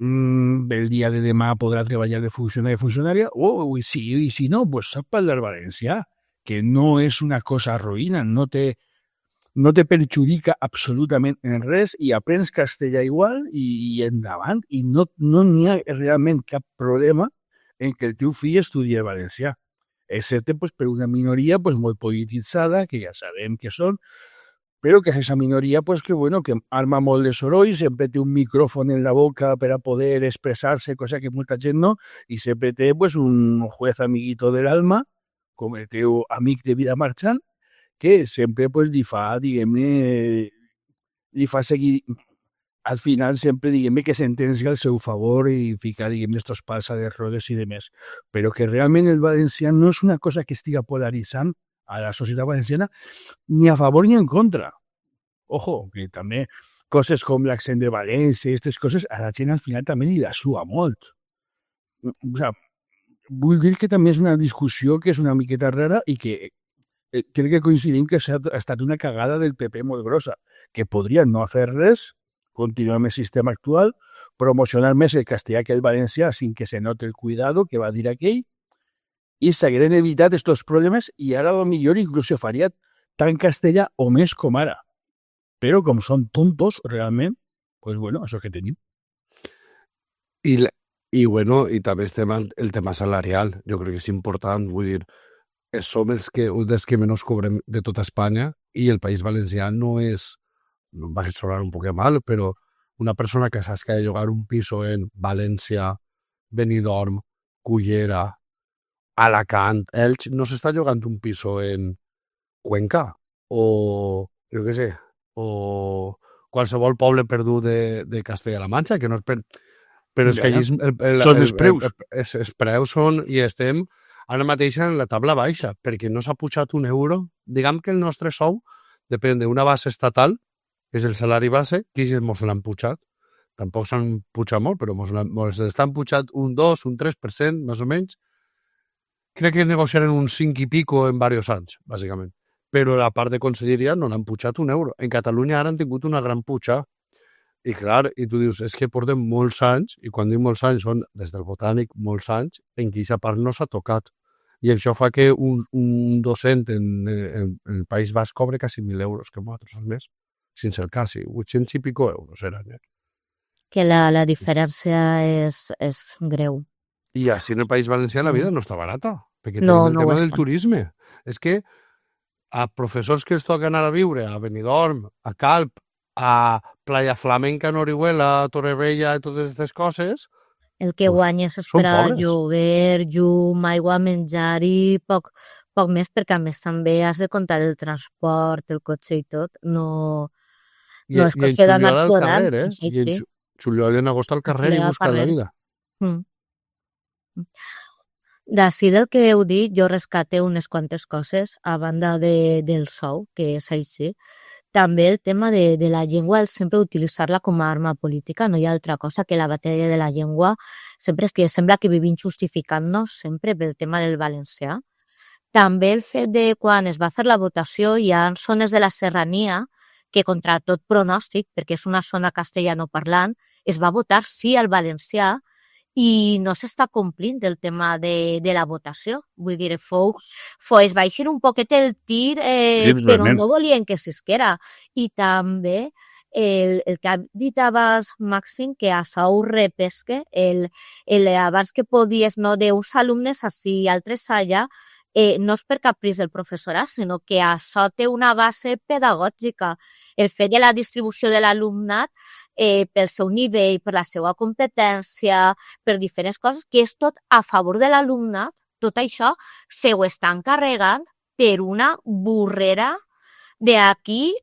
el dia de demà podrà treballar de funcionari o funcionària, i si no, pues sap parlar valencià, que no és una cosa ruïna, no te perjudica absolutament en res i aprens castellà igual i endavant, i no n'hi ha realment cap problema en que el teu fill estudi valencià, excepte pues, per una minoria pues, molt polititzada, que ja sabem que són, però que és aquesta minoria pues, que arma molt de soroll, sempre té un micròfon en la boca per a poder expressar-se, cosa que molta gent no, i sempre té pues, un juez amiguito del alma, com el teu amic de vida marxant, que sempre pues, li fa seguir, al final sempre que sentencia al seu favor i fica estos pals de rodes i demés. Però que realment el valencià no és una cosa que estiga polaritzant a la societat valenciana ni a favor ni en contra. Ojo, que també coses com l'accent de València i aquestes coses a la gent al final també li la sua molt. O sea, vull dir que també és una discussió que és una miqueta rara i que crec que coincidim que ha estat una cagada del PP molt grossa, que podrien no fer res, continuar amb el sistema actual, promocionar més el castellà que el valencià sin que se note el cuidado que va dir aquell, i s'hagueren evitat aquests problemes i ara millor inclús se faria tant castellà o més com ara. Però com són tontos, realment, pues bueno, això que tenim. I bueno, i també el tema salarial, jo crec que és important, vull dir, som un dels que menys cobrem de tota Espanya i el País Valencià no és, va sonar un poc mal, però una persona que saps que ha de llogar un piso en València, Benidorm, Cullera, Alacant, Elx, no s'està llogant un piso en Cuenca o, jo què sé, o qualsevol poble perdut de Castella-La Manxa, que no és per... Però és que allí són els preus. Els preus són, i estem ara mateix en la tabla baixa, perquè no s'ha pujat un euro. Diguem que el nostre sou depèn d'una base estatal, que és el salari base, que ens l'han pujat. Tampoc s'han pujat molt, però ens estan pujat un 2, un 3%, més o menys. Crec que negociaren un 5 i pico en diversos anys, bàsicament. Però la part de conselleria no l'han pujat un euro. En Catalunya ara han tingut una gran puja. I clar, i tu dius, és que portem molts anys, i quan dic molts anys són des del Botànic molts anys, en què aquesta part no s'ha tocat. I això fa que un docent en el País Basc cobre quasi 1.000 euros que nosaltres al mes, sense el quasi, 800 i pico euros eren. Que la diferència és greu. I així en el País Valencià la vida no està barata, perquè No, tenim el no ho tema del està. turisme. És que a professors que es toquen anar a viure a Benidorm, a Calp, a Playa Flamenca, Orihuela, Torrevella i totes aquestes coses, El que Uf, guanyes és són per a pobres. lloguer, llum, aigua, menjar i poc més, perquè a més també has de comptar el transport, el cotxe i tot. No és en qüestió d'anar juliol al plorant. carrer, Sí, I en sí. juliol i en agost al carrer i juliol al buscant la carrer. vida. Mm. D'ací del que heu dit, jo rescate unes quantes coses, a banda del sou, que és així. També el tema de la llengua, el sempre utilitzar-la com a arma política, no hi ha altra cosa que la batalla de la llengua, sempre és que sembla que vivim justificant-nos sempre pel tema del valencià. També el fet de quan es va fer la votació hi ha zones de la serrania que contra tot pronòstic, perquè és una zona castellanoparlant, es va votar sí al valencià i no s'està complint el tema de la votació. Vull dir, es va eixir un poquet el tir, Sí, però totalment. no volien que s'isquera. I també el que ha dit abans Màxim, que això ho repesque, abans que podies, no, d'uns alumnes així i altres allà, no és per caprici del professorat, sinó que això té una base pedagògica. El fet de la distribució de l'alumnat pel seu nivell, per la seva competència, per diferents coses, que és tot a favor de l'alumnat, tot això se ho estan carregant per una burrera de aquí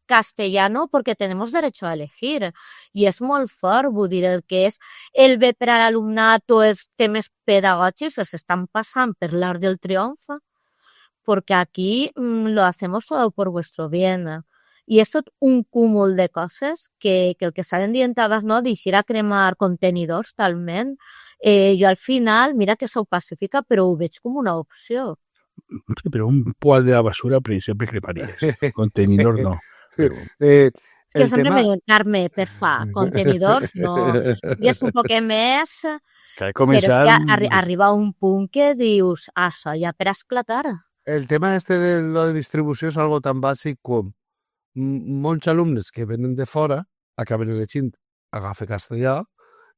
castellano porque tenemos derecho a elegir. I és molt fort, vull dir, el que és el bé per a l'alumnat o els temes pedagògics s'estan passant per l'art del triomf, porque aquí lo hacemos todo por vuestro bien. I és tot un cúmul de coses que el que s'han dient abans, no, d'eixir a cremar contenidors talment. Jo al final, mira que sou pacífica, però ho veig com una opció. Sí, però un poal de la basura per exemple creparies. Contenidor no. Però... És que sempre me diuen, Carme, per fa, contenidors no. I és un poc més, Que ha però començat... és que arriba a un punt que dius, això ja per esclatar. El tema de la distribució és algo tan bàsic com molts alumnes que venen de fora acaben elegint agafa castellà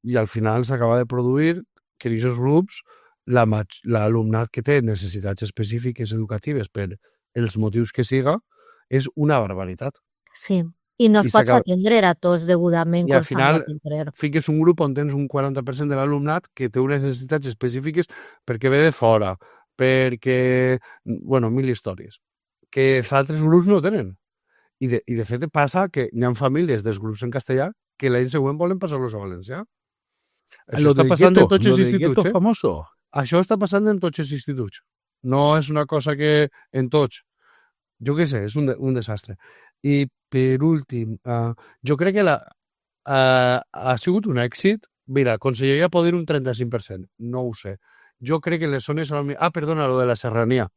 i al final s'acaba de produir que en aquests grups l'alumnat que té necessitats específiques educatives per els motius que siga és una barbaritat. Sí, i no I es pots s'acaba- atendre a tots degudament I al com s'han final d'atendre. fiques un grup on tens un 40% de l'alumnat que té unes necessitats específiques perquè ve de fora, perquè, bueno, mil històries, que els altres grups no tenen. I de fet passa que hi ha famílies dels grups en castellà que l'any següent volen passar-los a valencià. Això està passant en tots els instituts, famoso. Això està passant en tots els instituts. No és una cosa que en tots. Jo què sé, és un desastre. I per últim, jo crec que ha sigut un èxit. Mira, Conselleria pot dir un 35%, no ho sé. Jo crec que les zones... perdona, lo de la serrania.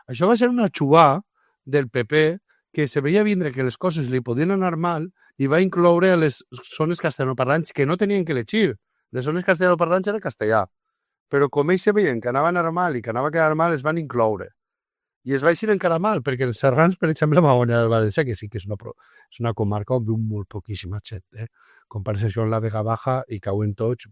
Això va ser una xubà del PP que se veia vindre que les coses li podien anar mal i va incloure a les zones castellanoparlants que no tenien que elegir. Les zones castellanoparlants era castellà. Però com ells se veien que anava a anar mal i que anava a quedar mal, es van incloure. I es va eixir encara mal, perquè els serrans, per exemple, va guanyar el València, que sí que és una comarca on viu molt poquíssima gent. Compares això amb la Vega Baja i cauen tots,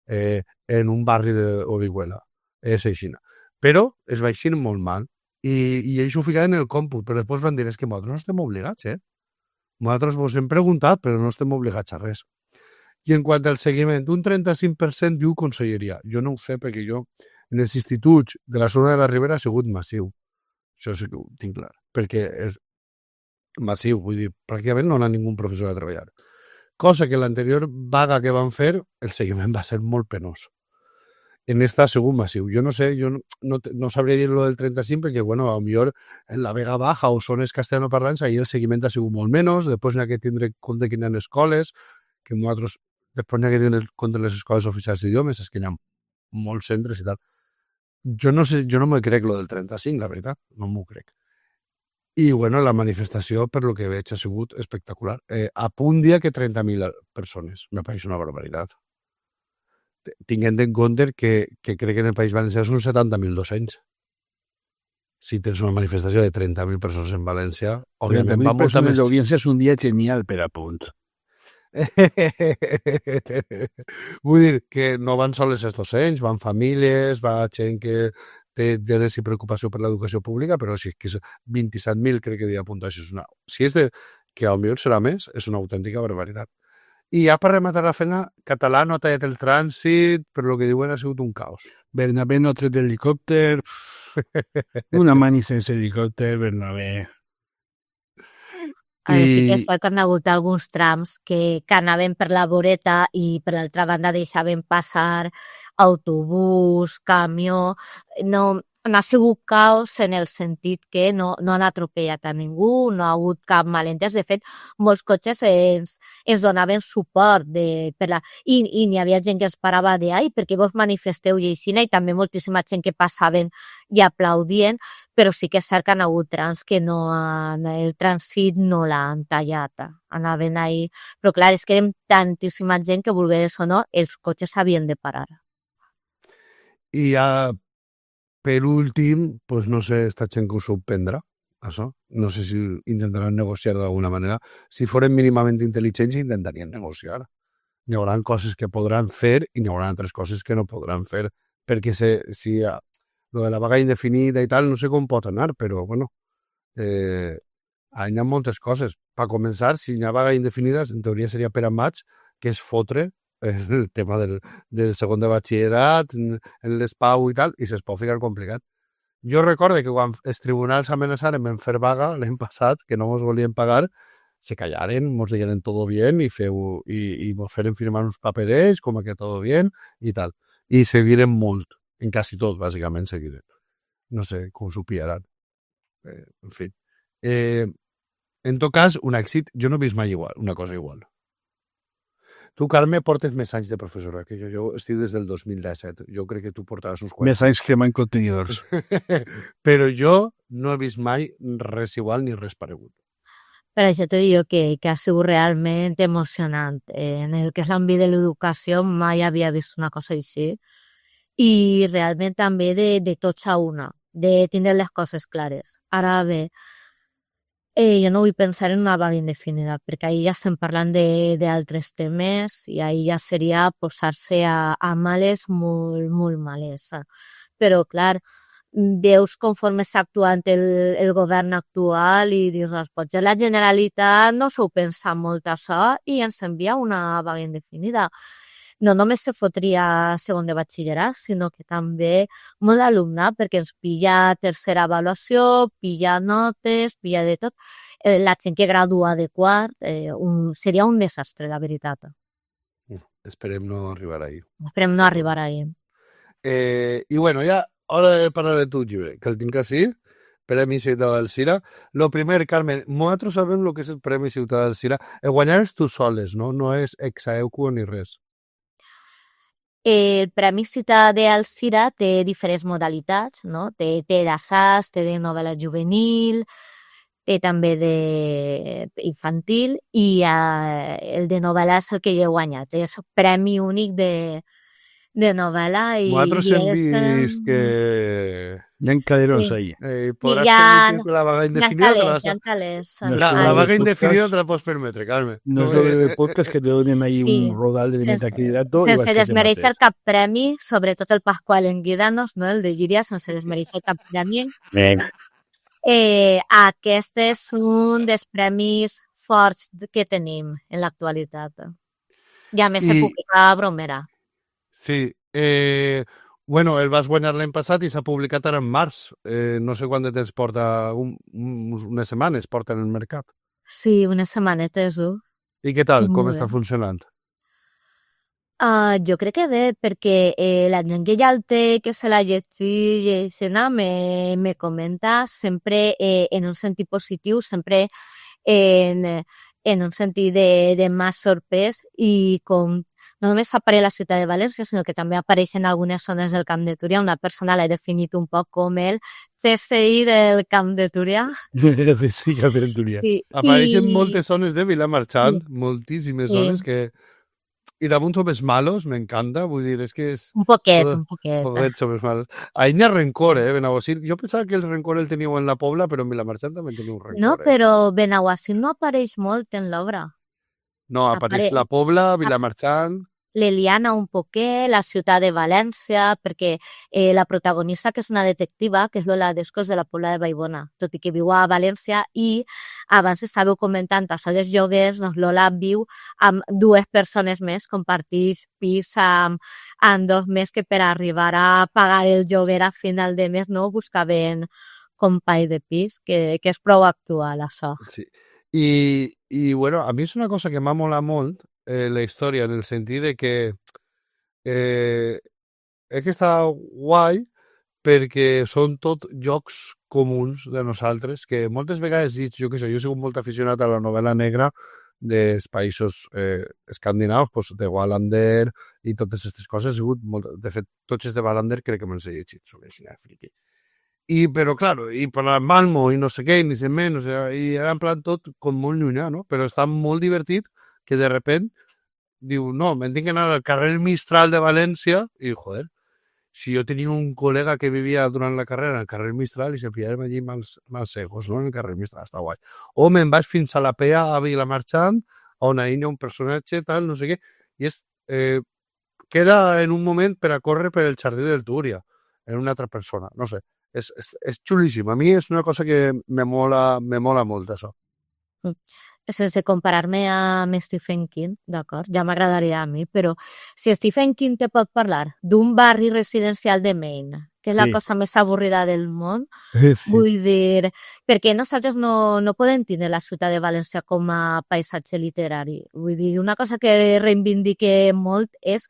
en un barri d'Orihuela. És així. Però es va eixir molt mal. I ells ho ficaven en el còmput, però després van dir, és que nosaltres no estem obligats, Nosaltres vos hem preguntat, però no estem obligats a res. I en quant al seguiment, un 35% diu conselleria. Jo no ho sé, perquè jo en els instituts de la zona de la Ribera ha sigut massiu. Això sí que ho tinc clar, perquè és massiu, vull dir, pràcticament no ha ningú professor a treballar. Cosa que l'anterior vaga que van fer, el seguiment va ser molt penós. En esta ha sigut massiu. Jo no sé, jo no sabria dir-lo del 35, perquè, bueno, a lo millor en la Vega Baja o zones castellanoparlants, ahir el seguiment ha sigut molt menys, després n'hi ha que tindre compte que hi ha escoles, que nosaltres, després n'hi ha que tindre compte les escoles oficials d'idiomes, és que hi ha molts centres i tal. Jo no sé, jo no me crec lo del 35, la veritat, no m'ho crec. I, bueno, la manifestació, per lo que veig, ha sigut espectacular. A punt dia que 30.000 persones. Me pareix una barbaritat. Tinguent en compte que crec que en el País Valencià són 70.200. Si tens una manifestació de 30.000 persones en València, òbviament va molta més... L'audiència és un dia genial per a punt. Vull dir que no van sols els docents, van famílies, va gent que té interès i preocupació per l'educació pública, però si és 27.000 crec que dia apuntar això és una... Si és de... que potser serà més, és una autèntica barbaritat. I ja per rematar la feina, Català no ha tallat el trànsit, però el que diuen ha sigut un caos. Bernabé no ha tret l'helicòpter, una mani sense helicòpter, Bernabé... Sí que és cert que han hagut alguns trams que anaven per la voreta i per l'altra banda deixaven passar autobús, camió... No ha sigut caos en el sentit que no han atropellat a ningú, no ha hagut cap malentès. De fet, molts cotxes ens donaven suport i n'hi havia gent que es parava de ai, perquè vos manifesteu i així, i també moltíssima gent que passaven i aplaudien, però sí que és cert que han hagut trams que el trànsit no l'han tallat. Anaven ahí. Però clar, és que érem tantíssima gent que, volgués o no, els cotxes s'havien de parar. I ja... Per últim, pues no sé, esta gent que ho sorprendrà, això. No sé si intentaran negociar d'alguna manera. Si foren mínimament intel·ligents, intentarien negociar. Hi haurà coses que podran fer i hi haurà altres coses que no podran fer. Perquè si lo de la vaga indefinida i tal, no sé com pot anar, però, bueno, hi ha moltes coses. Per començar, si hi ha vaga indefinida, en teoria seria per a maig, que és fotre el tema del segon de batxillerat, en l'ESPAU i tal, i se'ls pot ficar complicat. Jo recordo que quan els tribunals amenaçaren en fer vaga l'any passat, que no ens volien pagar, se callaren, ens digueren todo bien i ens feren firmar uns paperets com que todo bien i tal. I seguiren molt, en quasi tot, bàsicament seguiren. No sé com s'ho pillaran. En fi. En tot cas, un èxit, jo no he vist mai una cosa igual. Tu, Carme, portes més anys de professora que jo. Jo estic des del 2017. Jo crec que tu portaràs uns quants. Més anys que mai contenidors. Però jo no he vist mai res igual ni res paregut. Per això t'ho dic que ha sigut realment emocionant. En el que és l'àmbit de l'educació mai havia vist una cosa així. I realment també de tots a una, de tindre les coses clares. Ara bé, jo no vull pensar en una vaga indefinida, perquè ahir ja estem parlant d'altres temes i ahir ja seria posar-se a males molt, molt males. Però, clar, veus conforme s'ha actuat el govern actual i dius, potser la Generalitat no s'ho pensa molt això i ens envia una vaga indefinida. No només se fotria segon de batxillerat, sinó que també molt d'alumnat, perquè ens pilla tercera avaluació, pilla notes, pilla de tot. La gent que gradua de quart seria un desastre, la veritat. Esperem no arribar ahí. Esperem no arribar ahí. I bueno, ja, hora de parlar de tu llibre, que el tinc així, Premi Ciutat del Cira. Lo primer, Carmen, nosaltres sabem el que és el Premi Ciutat del Cira. El guanyar és tu soles, no? No és ex aequo ni res. El Premi Ciutat d'Alzira té diferents modalitats, no? Té d'assaig, té de novel·la juvenil, té també d'infantil i el de novel·la és el que jo he guanyat. És premi únic de novel·la i Nosaltres hem és, vist que Hi ha caderons Sí. ahí. podràs hi ha- permetre la vaga indefinida. hi ha talers. No és La el vaga podcast- indefinida te la pots permetre, Carme. No es lo del podcast que te donen ahí Sí. un rodal de Sense- metacrilato y vas Sense que te desmereixer mates. cap premi, sobretot el Pasqual Enguidanos, no? El de Llíria, sense desmereixer cap premi. Aquest és un dels premis forts que tenim en l'actualitat. I a més se I- publica a Bromera. Sí. Bueno, el vas guanyar l'any passat i s'ha publicat ara en març. No sé quant de temps porta, unes setmanes porta en el mercat. Sí, unes setmanetes, I què tal? I Com molt està bé. funcionant? Jo crec que bé, perquè la gent que ja el té, que se la llegeix, me comenta sempre en un sentit positiu, sempre en un sentit de m'ha sorprès i com no només apareix a la ciutat de València, sinó que també apareix en algunes zones del Camp de Túria. Una persona l'ha definit un poc com el CSI del Camp de Túria. Sí, que aventuria. Sí. Apareixen I- moltes zones de Vilamarxant, moltíssimes Sí. zones que... I damunt som els malos, m'encanta, vull dir, és que és... Un poquet, Todo- un poquet. Poquet som els malos. Ahí n'hi ha rencor, Benaguasil. Jo pensava que el rencor el teníeu en la Pobla, però en Vilamarxant també teniu un rencor. No, però Benaguasil no apareix molt en l'obra. No, apareix la Pobla, Vilamarxant... L'Eliana un poquet, la ciutat de València, perquè la protagonista, que és una detectiva, que és Lola Descos de la Pobla de Vallbona, tot i que viu a València, i abans estàveu comentant això dels joguers, doncs Lola viu amb dues persones més, comparteix pis amb dos més que per arribar a pagar el lloguer a final de mes no buscaven company de pis, que és prou actual, això. Sí. Bueno, a mi és una cosa que m'ha molat molt, la història, en el sentit de que és que està guai perquè són tot jocs comuns de nosaltres, que moltes vegades dic, jo què sé, jo he sigut molt aficionat a la novel·la negra dels països escandinaus, doncs, de Wallander i totes aquestes coses. He sigut molt... De fet, tots els de Wallander crec que me'ls he llegit, sobre així, friqui. Però, claro, i per la Malmo i no sé què, ni sé menys, i era en plan tot com molt llunyà, no? Però està molt divertit que de repent diu, no, me'n tinc que anar al carrer Mistral de València i, joder, si jo tenia un col·lega que vivia durant la carrera al carrer Mistral i se pillàvem allí mals segos, no? En el carrer Mistral, està guai. O me'n vaig fins a la Pea, a Vilamarxant, on ahir hi ha un personatge, tal, no sé què, i queda en un moment per a córrer per el jardí del Túria, en una altra persona, no sé. És xulíssim. A mi és una cosa que me mola molt, això. Sense comparar-me amb Stephen King, d'acord? Ja m'agradaria a mi, però si Stephen King te pot parlar d'un barri residencial de Maine, que és la Sí. cosa més avorrida del món, Sí. vull dir, perquè nosaltres no podem tenir la ciutat de València com a paisatge literari. Vull dir, una cosa que reivindique molt és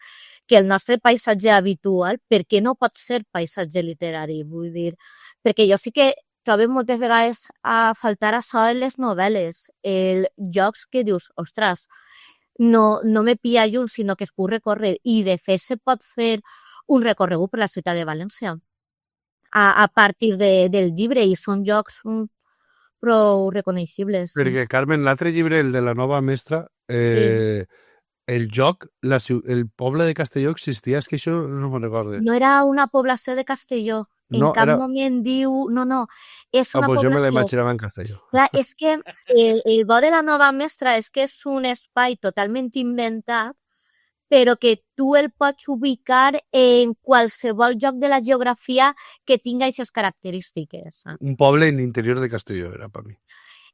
que el nostre paisatge habitual, per què no pot ser paisatge literari? Vull dir, perquè jo sí que trobo moltes vegades a faltar això en les novel·les, jocs que dius, ostres, no me pilla lluny, sinó que es puc recórrer, i de fet se pot fer un recorregut per la ciutat de València a partir del llibre, i són jocs prou reconeixibles. Perquè, Carmen, l'altre llibre, el de la nova mestra, el joc, el poble de Castelló existia, és que això no me'n recordo. No era una població de Castelló. En No, cap era- moment diu... No, és una pues jo me població... l'imaginava en Castelló. Clar, és que el bo de la nova mestra és que és un espai totalment inventat, però que tu el pots ubicar en qualsevol lloc de la geografia que tinga aquestes característiques. Un poble en l'interior de Castelló, era per mi.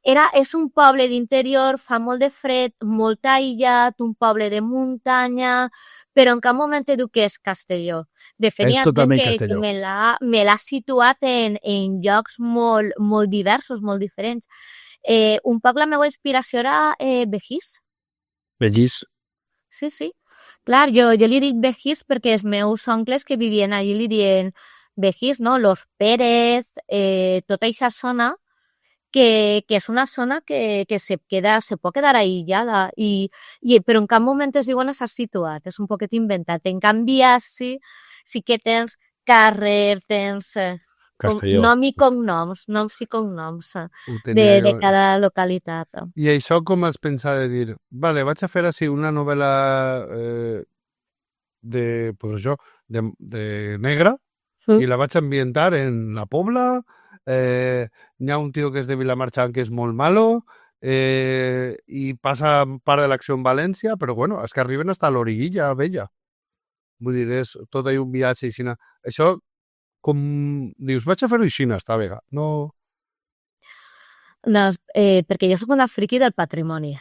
És un poble d'interior, fa molt de fred, molt aïllat, un poble de muntanya, però en cap moment te diu que és Castelló. De fet, És hi ha totalment gent que Castelló. me l'ha situat en llocs molt diversos, molt diferents. Un poc la meva inspiració era Begís. Begís. Sí. Clar, jo li dic Begís perquè els meus oncles que vivien allí li diuen Begís, no? Los Pérez, tota aquesta zona, que és una zona que se pot quedar aïllada, però en cap moment es diu on s'ha situat, és un poquet inventat. En canvi, sí que tens carrer, tens Castelló. noms i cognoms Ho tenia de jo. cada localitat. I això com has pensat de dir, vale, vaig a fer així una novel·la pues això, de negra, i la vaig ambientar en la Pobla, hi ha un tio que és de Vilamarxant que és molt malo, i passa part de l'acció en València, però bueno, és que arriben fins a l'Origuilla Vella. Vull dir, és tot un viatge així. Això, com dius, vaig a fer-ho així, està bé. No... No, perquè jo sóc una friqui del patrimoni.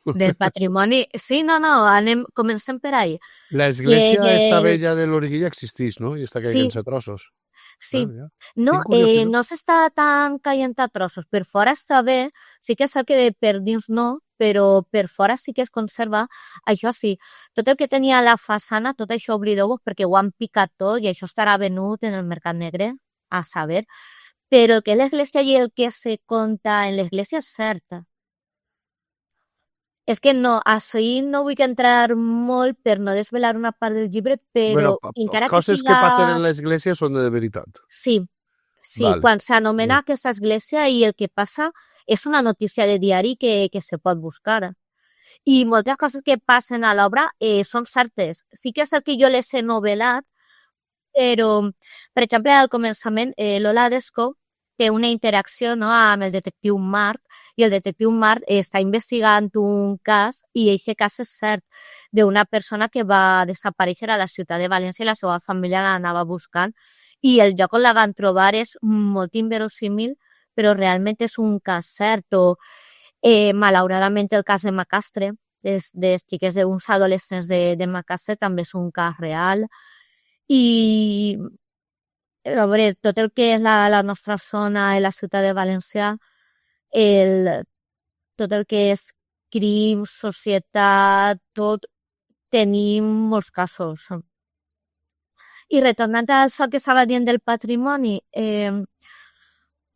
Del patrimoni... Sí, no, comencem per ahí. L'església esta vella de l'Origuilla existeix, no? I està caient-se a trossos. Sí. Ja. No, Quin curiositat. no s'està tan caient a trossos. Per fora està bé, sí que és cert que per dins no, però per fora sí que es conserva. Això sí, tot el que tenia a la façana, tot això oblideu-vos perquè ho han picat tot i això estarà venut en el mercat negre, a saber. Però que l'església i el que se conta en l'església és cert. És que no, així no vull entrar molt per no desvelar una part del llibre, però encara que coses que passen en l'església són de veritat. Sí, Vale. Quan s'anomena aquesta església i el que passa és una notícia de diari que se pot buscar. I moltes coses que passen a l'obra són certes. Sí que és cert que jo les he novel·lat, però, per exemple, al començament, Lola Desco té una interacció, no, amb el detectiu Marc, i el detectiu Marc està investigant un cas, i aquest cas és cert, d'una persona que va desaparèixer a la ciutat de València i la seva família l'anava buscant, i el lloc on la van trobar és molt inverosímil, però realment és un cas cert. O, malauradament, el cas de Macastre, de xiques d'uns adolescents de Macastre, també és un cas real. I a veure, tot el que és la nostra zona i la ciutat de València, tot el que és crim, societat, tot, tenim molts casos. I retornant a això que estava dient del patrimoni,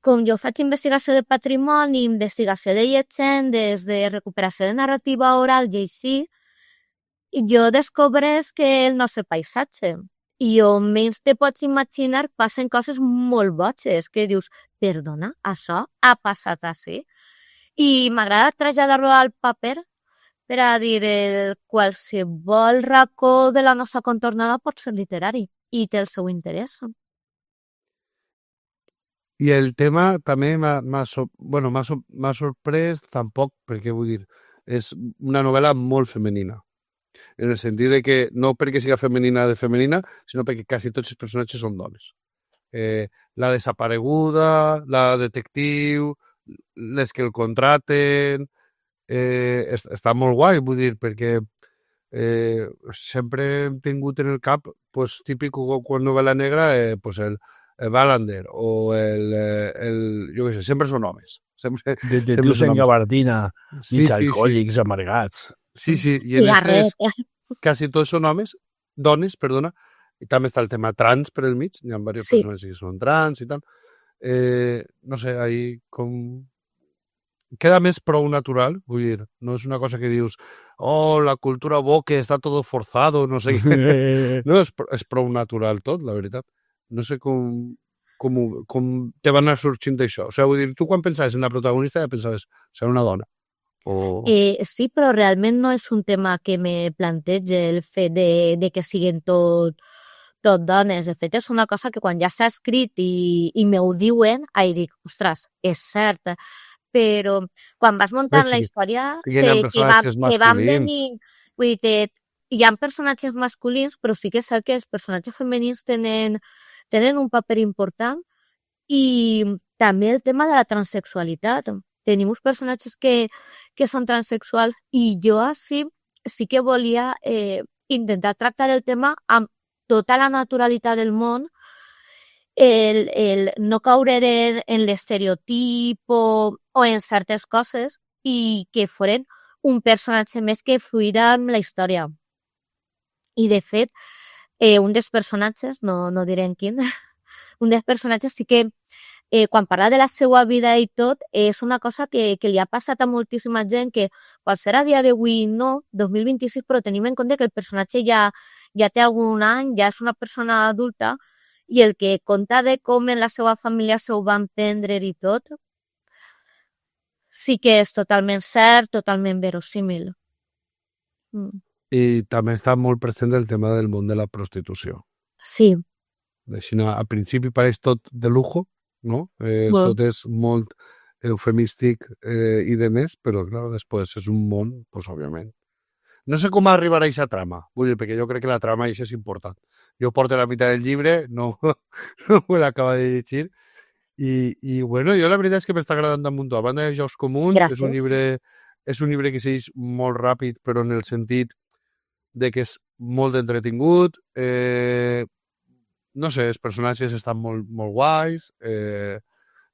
com jo faig investigació del patrimoni, investigació de llegendes, de recuperació de narrativa oral i així, jo descobreix que el nostre paisatge i on menys te pots imaginar passen coses molt boges, que dius, perdona, això ha passat així? I m'agrada traslladar-lo al paper per a dir qualsevol racó de la nostra contornada pot ser literari i té el seu interès. I el tema també m'ha sorprès tampoc, perquè vull dir, és una novel·la molt femenina. En el sentit de que no perquè siga femenina de femenina, sinó perquè quasi tots els personatges són dones. La desapareguda, la detectiu, les que el contraten, està molt guai, vull dir, perquè sempre hem tingut en el cap, pues, típic quan novel·la negra, pues el Wallander o jo què sé, sempre són homes. Detectius en gabardina, mig alcohòlics, amargats. Sí, i en aquestes quasi tots són dones, perdona, i també està el tema trans per el mig, hi ha diverses persones que són trans i tal. No sé, ahí com... Queda més prou natural, vull dir, no és una cosa que dius, oh, la cultura woke està todo forzado, no sé què. No, és prou natural tot, la veritat. No sé com te va anar sorgint això. O sigui, vull dir, tu quan pensaves en la protagonista ja pensaves, serà una dona. Sí, però realment no és un tema que me plantege el fet de que siguin tot dones. De fet, és una cosa que quan ja s'ha escrit i me ho diuen, dic, ostres, és cert. Però quan vas muntant la història que van venir... Vull dir, hi ha personatges masculins, però sí que és cert que els personatges femenins tenen un paper important, i també el tema de la transsexualitat. Tenim uns personatges que són transsexuals, i jo sí que volia intentar tractar el tema amb tota la naturalitat del món, el no caure en l'estereotip o en certes coses, i que foren un personatge més que fluirà amb la història. I, de fet, un dels personatges, no direm quin, un dels personatges sí que quan parla de la seva vida i tot, és una cosa que li ha passat a moltíssima gent que pot ser a dia d'avui no, 2026, però tenim en compte que el personatge ja té algun any, ja és una persona adulta, i el que conta de com en la seva família s'ho van prendre i tot, sí que és totalment cert, totalment verosímil. I també està molt present el tema del món de la prostitució. Sí. Al principi pareix tot de lujo, no? Tot és molt eufemístic i de més, però clar, després és un món, pues, òbviament. No sé com arribarà a aquesta trama, vull dir, perquè jo crec que la trama és important. Jo porto la meitat del llibre, no me l'acaba de llegir, i bueno, jo la veritat és que m'està agradant damunt. A banda de Jocs Comuns, és un llibre que segueix molt ràpid, però en el sentit de que és molt entretingut, no sé, els personatges estan molt, molt guais,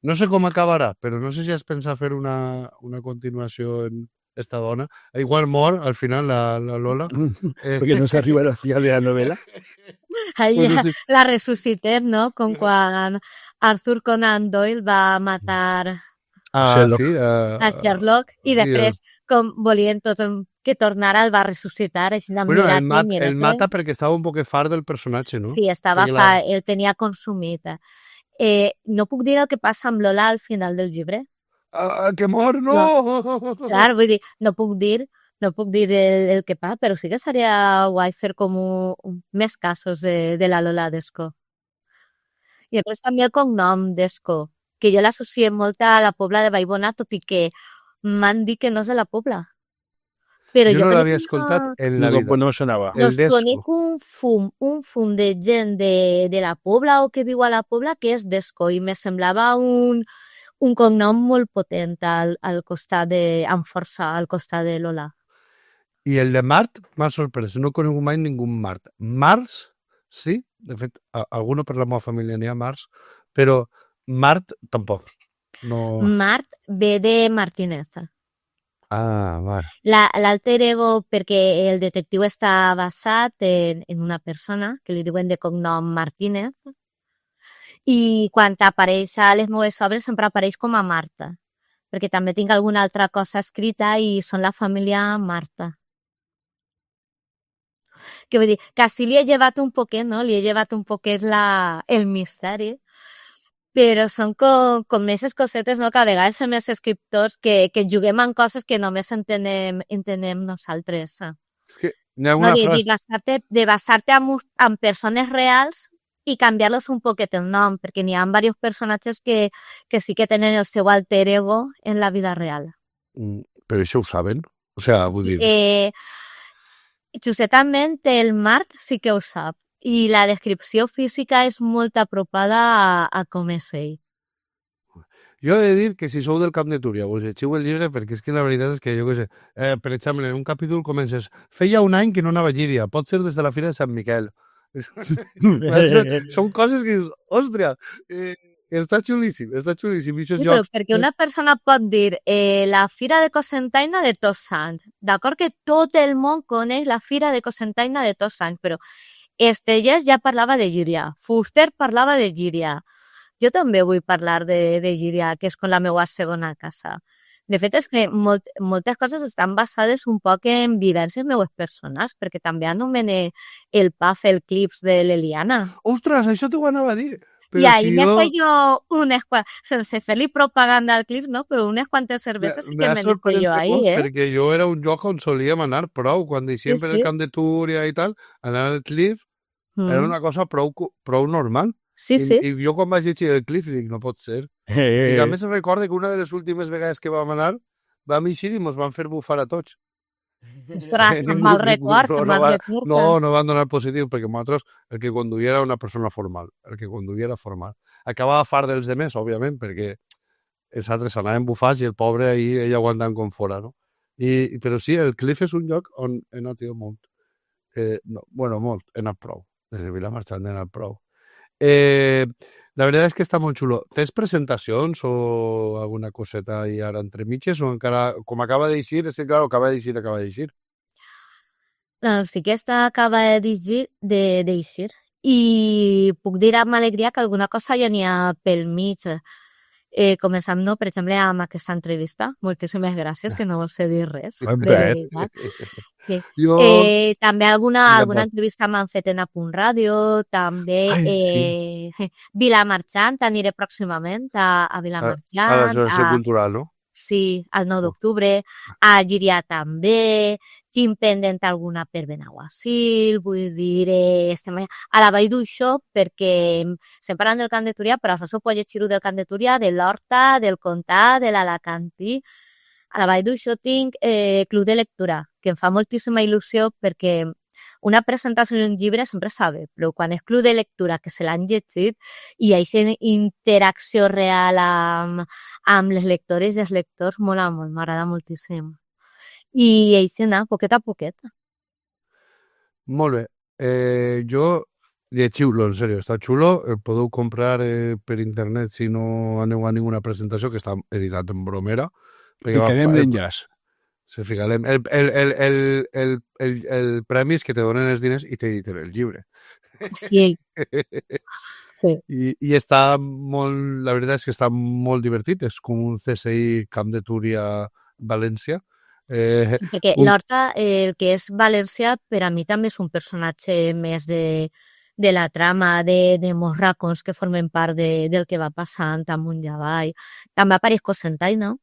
no sé com acabarà, però no sé si has pensat fer una continuació en esta dona. Igual mor al final la Lola. Perquè no s'arriba al final de la novela. Bueno, sí. La ressuscitem, no? Com quan Arthur Conan Doyle va matar a Sherlock i després, com volien tot que tornara, el va ressuscitar. Bueno, el mata perquè estava un poc fart del personatge, no? Sí, el tenia consumit. No puc dir el que passa amb Lola al final del llibre. Que mor, no! Clar, vull dir, no puc dir el que passa, però sí que seria guai fer com més casos de la Lola Desco. I després també el cognom Desco, que jo l'associem molt a la Pobla de Vallbona, tot i que m'han dit que no és de la Pobla. Però jo no l'havia escoltat en la vida. No sonava. Doncs conec un fum de gent de la Pobla o que viu a la Pobla que és Desco i me semblava un cognom molt potent al costat amb força al costat de Lola. I el de Mart m'ha sorprès, no conec mai ningú Mart. Mars, sí, de fet, alguna per la meva família n'hi ha Mars, però Mart tampoc. No... Mart ve de Martínez. Vale. L'alter ego, perquè el detectiu està basat en una persona que li diuen de cognom Martínez, i quan apareix a les meves obres sempre apareix com a Marta, perquè també tinc alguna altra cosa escrita i són la família Marta. Que vull dir, que sí li he llevat un poquet, no? Li he llevat un poquet el misteri, però són com més cosetes, no? Que a vegades fem els escriptors que juguem en coses que només entenem nosaltres. És que hi ha una frase... De basar-te en persones reals i canviar-los un poquet el nom, perquè n'hi ha diversos personatges que sí que tenen el seu alter ego en la vida real. Però això ho saben? O sigui, vull dir... Justament el Mart sí que ho sap, i la descripció física és molt apropada a com és ell. Jo he de dir que si sou del Camp de Túria us llegiu el llibre, perquè és que la veritat és que jo què sé, per exemple, en un capítol comences feia un any que no anava a Llíria, pot ser des de la Fira de Sant Miquel. Són coses que dius, òstria, està xulíssim, està xulíssim. Sí, però perquè una persona pot dir la Fira de Cocentaina de Tots Sants, d'acord que tot el món coneix la Fira de Cocentaina de Tots Sants, però Estellers ja parlava de Llíria, Fuster parlava de Llíria, jo també vull parlar de Llíria, que és com la meva segona casa. De fet, és que moltes coses estan basades un poc en vivències meues personals, perquè també anomene el Paf, el Clips de l'Eliana. Ostres, això t'ho anava a dir. I ahir m'he fet jo sense fer-li propaganda al Clips, no? Però unes quantes cerveses sí que m'he dit jo ahir, Perquè jo era un lloc on solíem anar prou, quan deixíem per el Camp de Túria i tal, anar al Clips era una cosa prou normal. Sí, sí. I jo quan vaig llegir el Cliff dic, no pot ser. I a més recordo que una de les últimes vegades que vam anar vam eixir i ens van fer bufar a tots. Ostres, mal record. No van donar positiu, perquè nosaltres el que conduïa era una persona formal. El que conduïa era formal. Acabava fart dels demés, òbviament, perquè els altres anaven bufats i el pobre ahir ell aguantant com fora, no? Però sí, el Cliff és un lloc on he anat jo molt. Molt, he anat prou. Des de Vilamarxant he anat prou. La veritat és que està molt xulo. Tens presentacions o alguna coseta ahí ara entre mitges o encara, com acaba d'eixir, és que clar, acaba d'eixir. Doncs sí que acaba d'eixir i puc dir amb alegria que alguna cosa ja n'hi ha pel mig. Començam, no, per exemple, amb aquesta entrevista. Moltíssimes gràcies, que no vol ser dir res, Ben de fet. veritat. Sí. Jo... També alguna Vinga, entrevista m'han fet en Apunt Ràdio, també Ai, Vilamarxant, aniré pròximament a Vilamarxant. A l'Associació Cultural, no? Sí, el 9 d'octubre, a Llíria també, tinc pendent alguna per Benaguasil, vull dir, estem a la Vall d'Uixó, perquè estem parlant del Camp de Túria, però això puc llegir-ho del Camp de Túria, de l'Horta, del Comtat, de l'Alacantí. A la Vall d'Uixó tinc Club de Lectura, que em fa moltíssima il·lusió perquè una presentació d'un llibre sempre sabe, però quan és Club de Lectura, que se l'han llegit, i aquesta interacció real amb les lectores i els lectors, mola molt, m'agrada moltíssim. I això anar, poquet a poquet. Molt bé. Jo llegiu-lo, en sèrio, està xulo. El podeu comprar per internet si no aneu a ninguna presentació, que està editat en bromera. Ficarem l'enllaç. Se ficarem. El premi és que te donen els diners i t'editen el llibre. Sí. Sí. I està molt... La veritat és que està molt divertit. És com un CSI Camp de Túria València. Sí, perquè l'Horta, el que és valencià, per a mi també és un personatge més de la trama, de molts racons que formen part del que va passant amunt i avall. També apareix Cocentaina,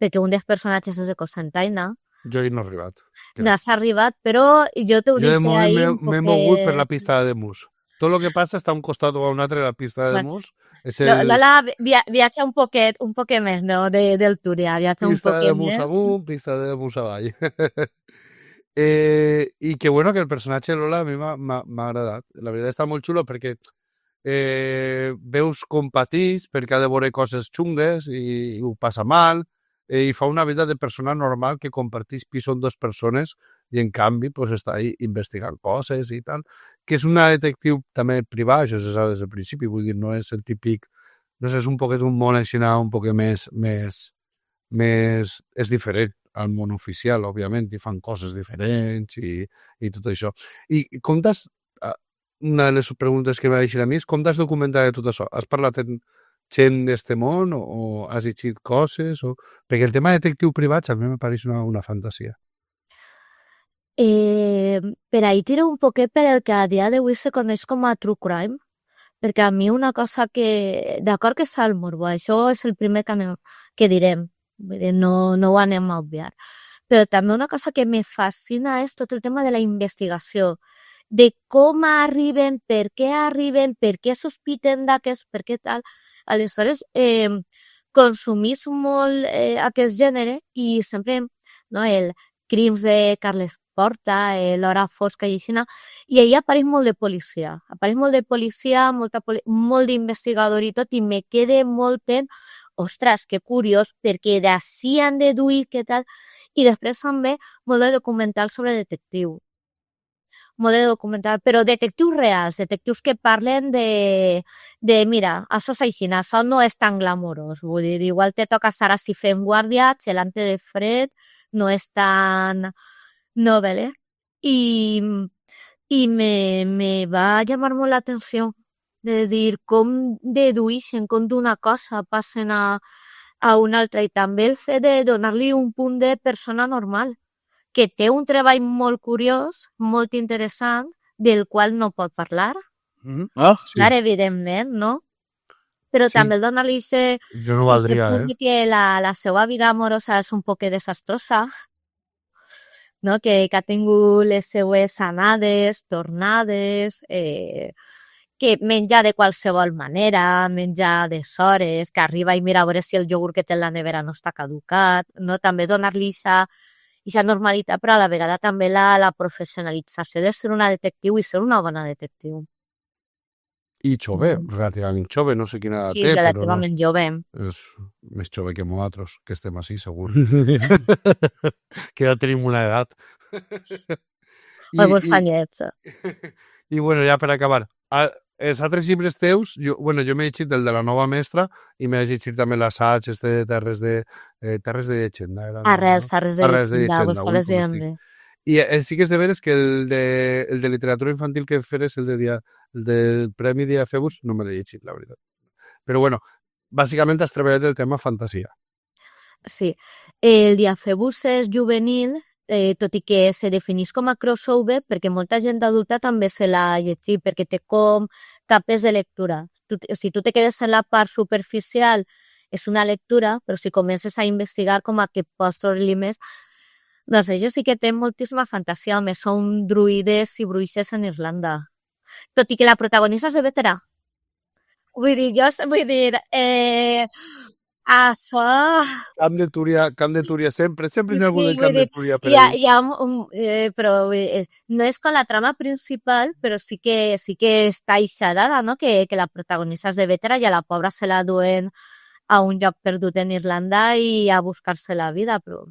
perquè un dels personatges és de Cocentaina. Jo hi no he arribat. No has arribat, però jo t'ho dic ahí un poquet... M'he mogut per la pista de Mus. Tot el que passa està a un costat o a un altre de la pista de Mus. Lola viatja un poquet més, no?, del Túria. Viatja un poquet més. Pista de Mus amunt, pista de Mus avall. I que bueno, que el personatge Lola a mi m'ha agradat. La veritat està molt xulo perquè veus com patís, perquè ha de veure coses xungues i ho passa mal, i fa una vida de persona normal que compartís pis amb dues persones i en canvi pues, està ahí investigant coses i tal, que és una detectiu també privada, això se sap des del principi, vull dir, no és el típic, no sé, és un poquet un món així, un poquet més és diferent al món oficial, òbviament, i fan coses diferents i tot això. I com t'has, una de les preguntes que m'ha deixat a mi és com t'has documentat de tot això? Has parlat amb gent d'este món o has llegit coses? Perquè el tema de detectiu privats a mi me pareix una fantasia. Per ahí tiro un poquet per el que a dia d'avui se coneix com a true crime, perquè a mi una cosa que, d'acord que està el morbo, això és el primer que direm, no ho anem a obviar, però també una cosa que me fascina és tot el tema de la investigació, de com arriben, per què sospiten d'aquest, per què tal. Aleshores, consumís molt aquest gènere i sempre, no, el Crims de Carles Porta, l'Hora fosca i així, i ahir apareix molt de policia, molt d'investigador i tot, i me quede molt en, ostres, que curiós, perquè d'ací han deduït què tal, i després també molt de documental sobre detectiu. Molt de documental, però detectius reals, detectius que parlen de mira, això és així, això no és tan glamorós, vull dir, igual te toca estar així fent guàrdia, gelante de fred, no és tan novel·le, i me va llamar molt l'atenció, de dir com deduïxen, com d'una cosa passen a una altra, i també el fet de donar-li un punt de persona normal, que té un treball molt curiós, molt interessant, del qual no pot parlar. Sí. Clar, evidentment, no? Però Sí. també el donar-li Jo no valdria, punt que la seva vida amorosa és un poc desastrosa, no? Que ha tingut les seues anades, tornades, que menja de qualsevol manera, menja d'hores, que arriba i mira a veure si el iogurt que té en la nevera no està caducat, no? També donar-li aquesta normalitat, però a la vegada també la professionalització de ser una detectiu i ser una bona detectiu. I jove, relativament jove, no sé quina edat Sí, té, relativament jove. és més jove que nosaltres, que estem així, segur. Que ja tenim una edat. Alguns fanyets. I bueno, ja per acabar, els altres llibres teus, jo m'he llegit el de la nova mestra i m'he llegit també l'assaig de Terres de llegenda. Arrels de Arrels de llegenda, llegenda, González ui, de com Ende. I sí que és de veres que el de literatura infantil que feres, el del Premi Dia Febus, no me l'he llegit, la veritat. Però bueno, bàsicament has treballat el tema fantasia. Sí. El Diaphebus juvenil, tot i que se defineix com a crossover, perquè molta gent adulta també se l'ha llegit, perquè té com capes de lectura. Si tu te quedes en la part superficial, és una lectura, però si comences a investigar com a que pots trobar-li més, doncs ells sí que tenen moltíssima fantasia, a més són druides i bruixes en Irlanda. Tot i que la protagonista és de veterà. Vull dir, això... Camp de Túria sempre hi ha algú del Camp de Túria per hi ahí. ha però no és com la trama principal, però sí que està aixadada, no? Que la protagonista és de veterà i a la pobra se la duen a un lloc perdut en Irlanda i a buscar-se la vida, però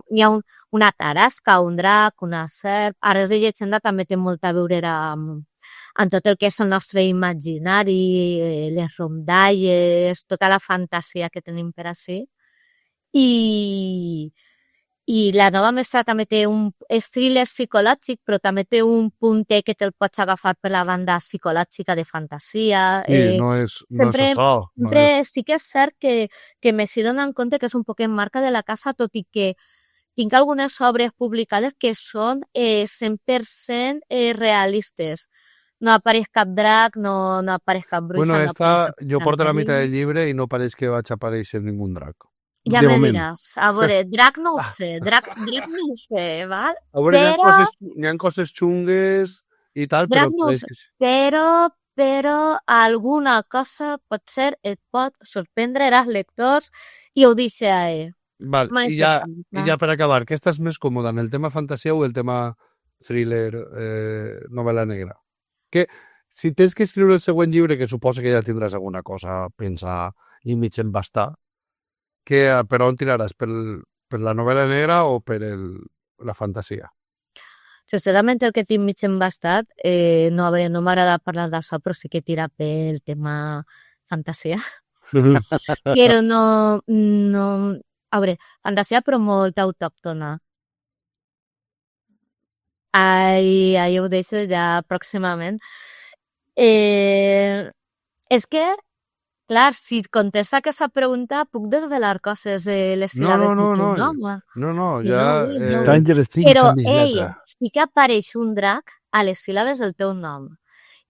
hi ha una tarasca, un drac, una serp... Arrels de llegenda també té molt a veure en tot el que és el nostre imaginari, les rondalles, tota la fantasia que tenim per ací. I la nova mestra també té un thriller psicològic, però també té un puntet que te'l pots agafar per la banda psicològica de fantasia. Sí, no és això. Sempre sí que és cert que m'he donat compte que és un poc en marca de la casa, tot i que tinc algunes obres publicades que són 100% realistes. No apareix cap drac, no apareix cap bruixa. Bueno, jo porto la meitat del llibre i no pareix que vaig aparèixer ningú drac. Ja me diràs. A veure, drac no ho sé, drac no ho sé, val? A veure, hi ha coses xungues i tal, drac no ho sé, però alguna cosa potser et pot sorprendre als lectors i ho deixo a ell. Val, i ja per acabar, què estàs més còmode, en el tema fantasia o el tema thriller, novel·la negra? Que si tens que escriure el següent llibre, que suposa que ja tindràs alguna cosa a pensar i mig embastar, per on tiraràs? Per la novel·la negra o per la fantasia? Sincerament, el que tinc mig embastat, no m'agrada parlar d'això, però sí que tira pel tema fantasia. Però no... A veure, fantasia però molt autòctona. Ahí ho deixo ja pròximament. És que, clar, si contesta aquesta pregunta, puc desvelar coses de les síl·labes de teu nom? No, ja... Stranger Things però, amb lletra. sí que apareix un drac a les síl·labes del teu nom.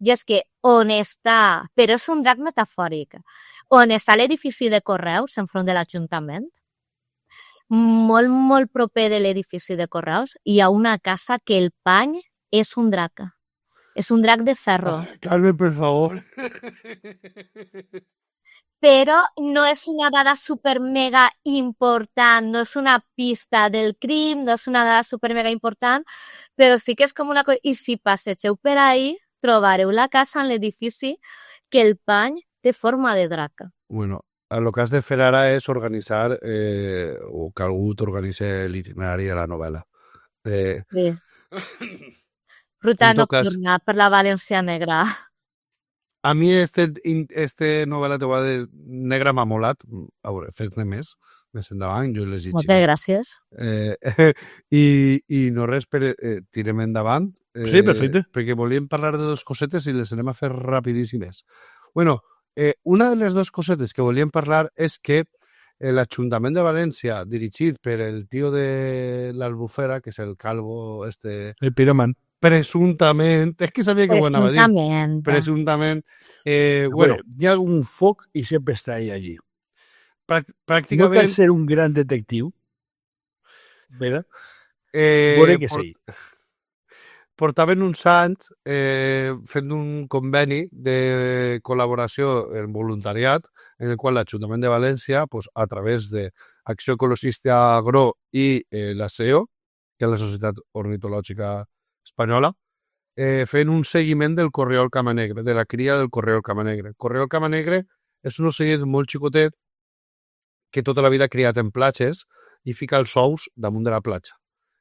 I és que on està, però és un drac metafòric, on està l'edifici de correus enfront de l'Ajuntament, molt, molt proper de l'edifici de correus, hi ha una casa que el pany és un drac. És un drac de ferro. Carmen, per favor. Però no és una dada super mega important, no és una pista del crim, no és una dada super mega important, però sí que és com una cosa... I si passegeu per ahí, trobareu la casa en l'edifici que el pany té forma de drac. Bueno, el que has de fer ara és organitzar, o que algú t'organitzi l'itinerari de la novel·la. Sí. Ruta nocturna per la València Negra. A mi este novel·la de negra m'ha molat. A veure, fes-ne més endavant, jo les llegiré. Moltes gràcies. I no res, tirem endavant. Sí, perfecte. Perquè volíem parlar de dos cosetes i les anem a fer rapidíssimes. Bueno, una de les dues cosetes que volíem parlar és que l'Ajuntament de València, dirigit per el tio de l'Albufera, que és el calvo, el piroman, presumptament, és que sabia que ho anava a dir. Presumptament. Bueno, hi ha un foc i sempre està allí. Pràcticament... No cal ser un gran detectiu, ¿verdad? Veure que sí. Portaven uns anys fent un conveni de col·laboració en voluntariat en el qual l'Ajuntament de València, a través d'Acció Ecologista Agro i la SEO, que és la Societat Ornitològica Espanyola, fent un seguiment del corriol camanegre, de la cria del corriol camanegre. El corriol camanegre és un ocellet molt xicotet que tota la vida ha criat en platges i fica els ous damunt de la platja.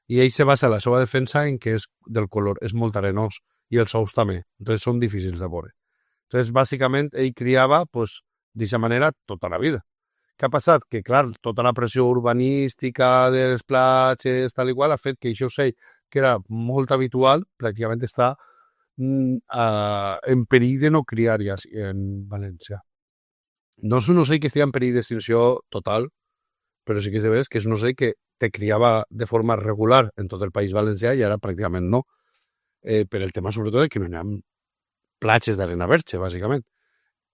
I ell se basa la seva defensa en que és del color, és molt arenós, i els ous també, entonces són difícils de veure. Entonces, bàsicament, ell criava, d'aquesta manera, tota la vida. Què ha passat? Que, clar, tota la pressió urbanística de les platges, tal i qual, ha fet que això ocell, que era molt habitual, pràcticament està en perill de no criar ja en València. No és un ocell que estigui en perill d'extinció total, però sí que és de veres que és un ocell que te criava de forma regular en tot el País Valencià i ara pràcticament no. Per el tema sobretot que no hi ha platges d'arena verge, bàsicament,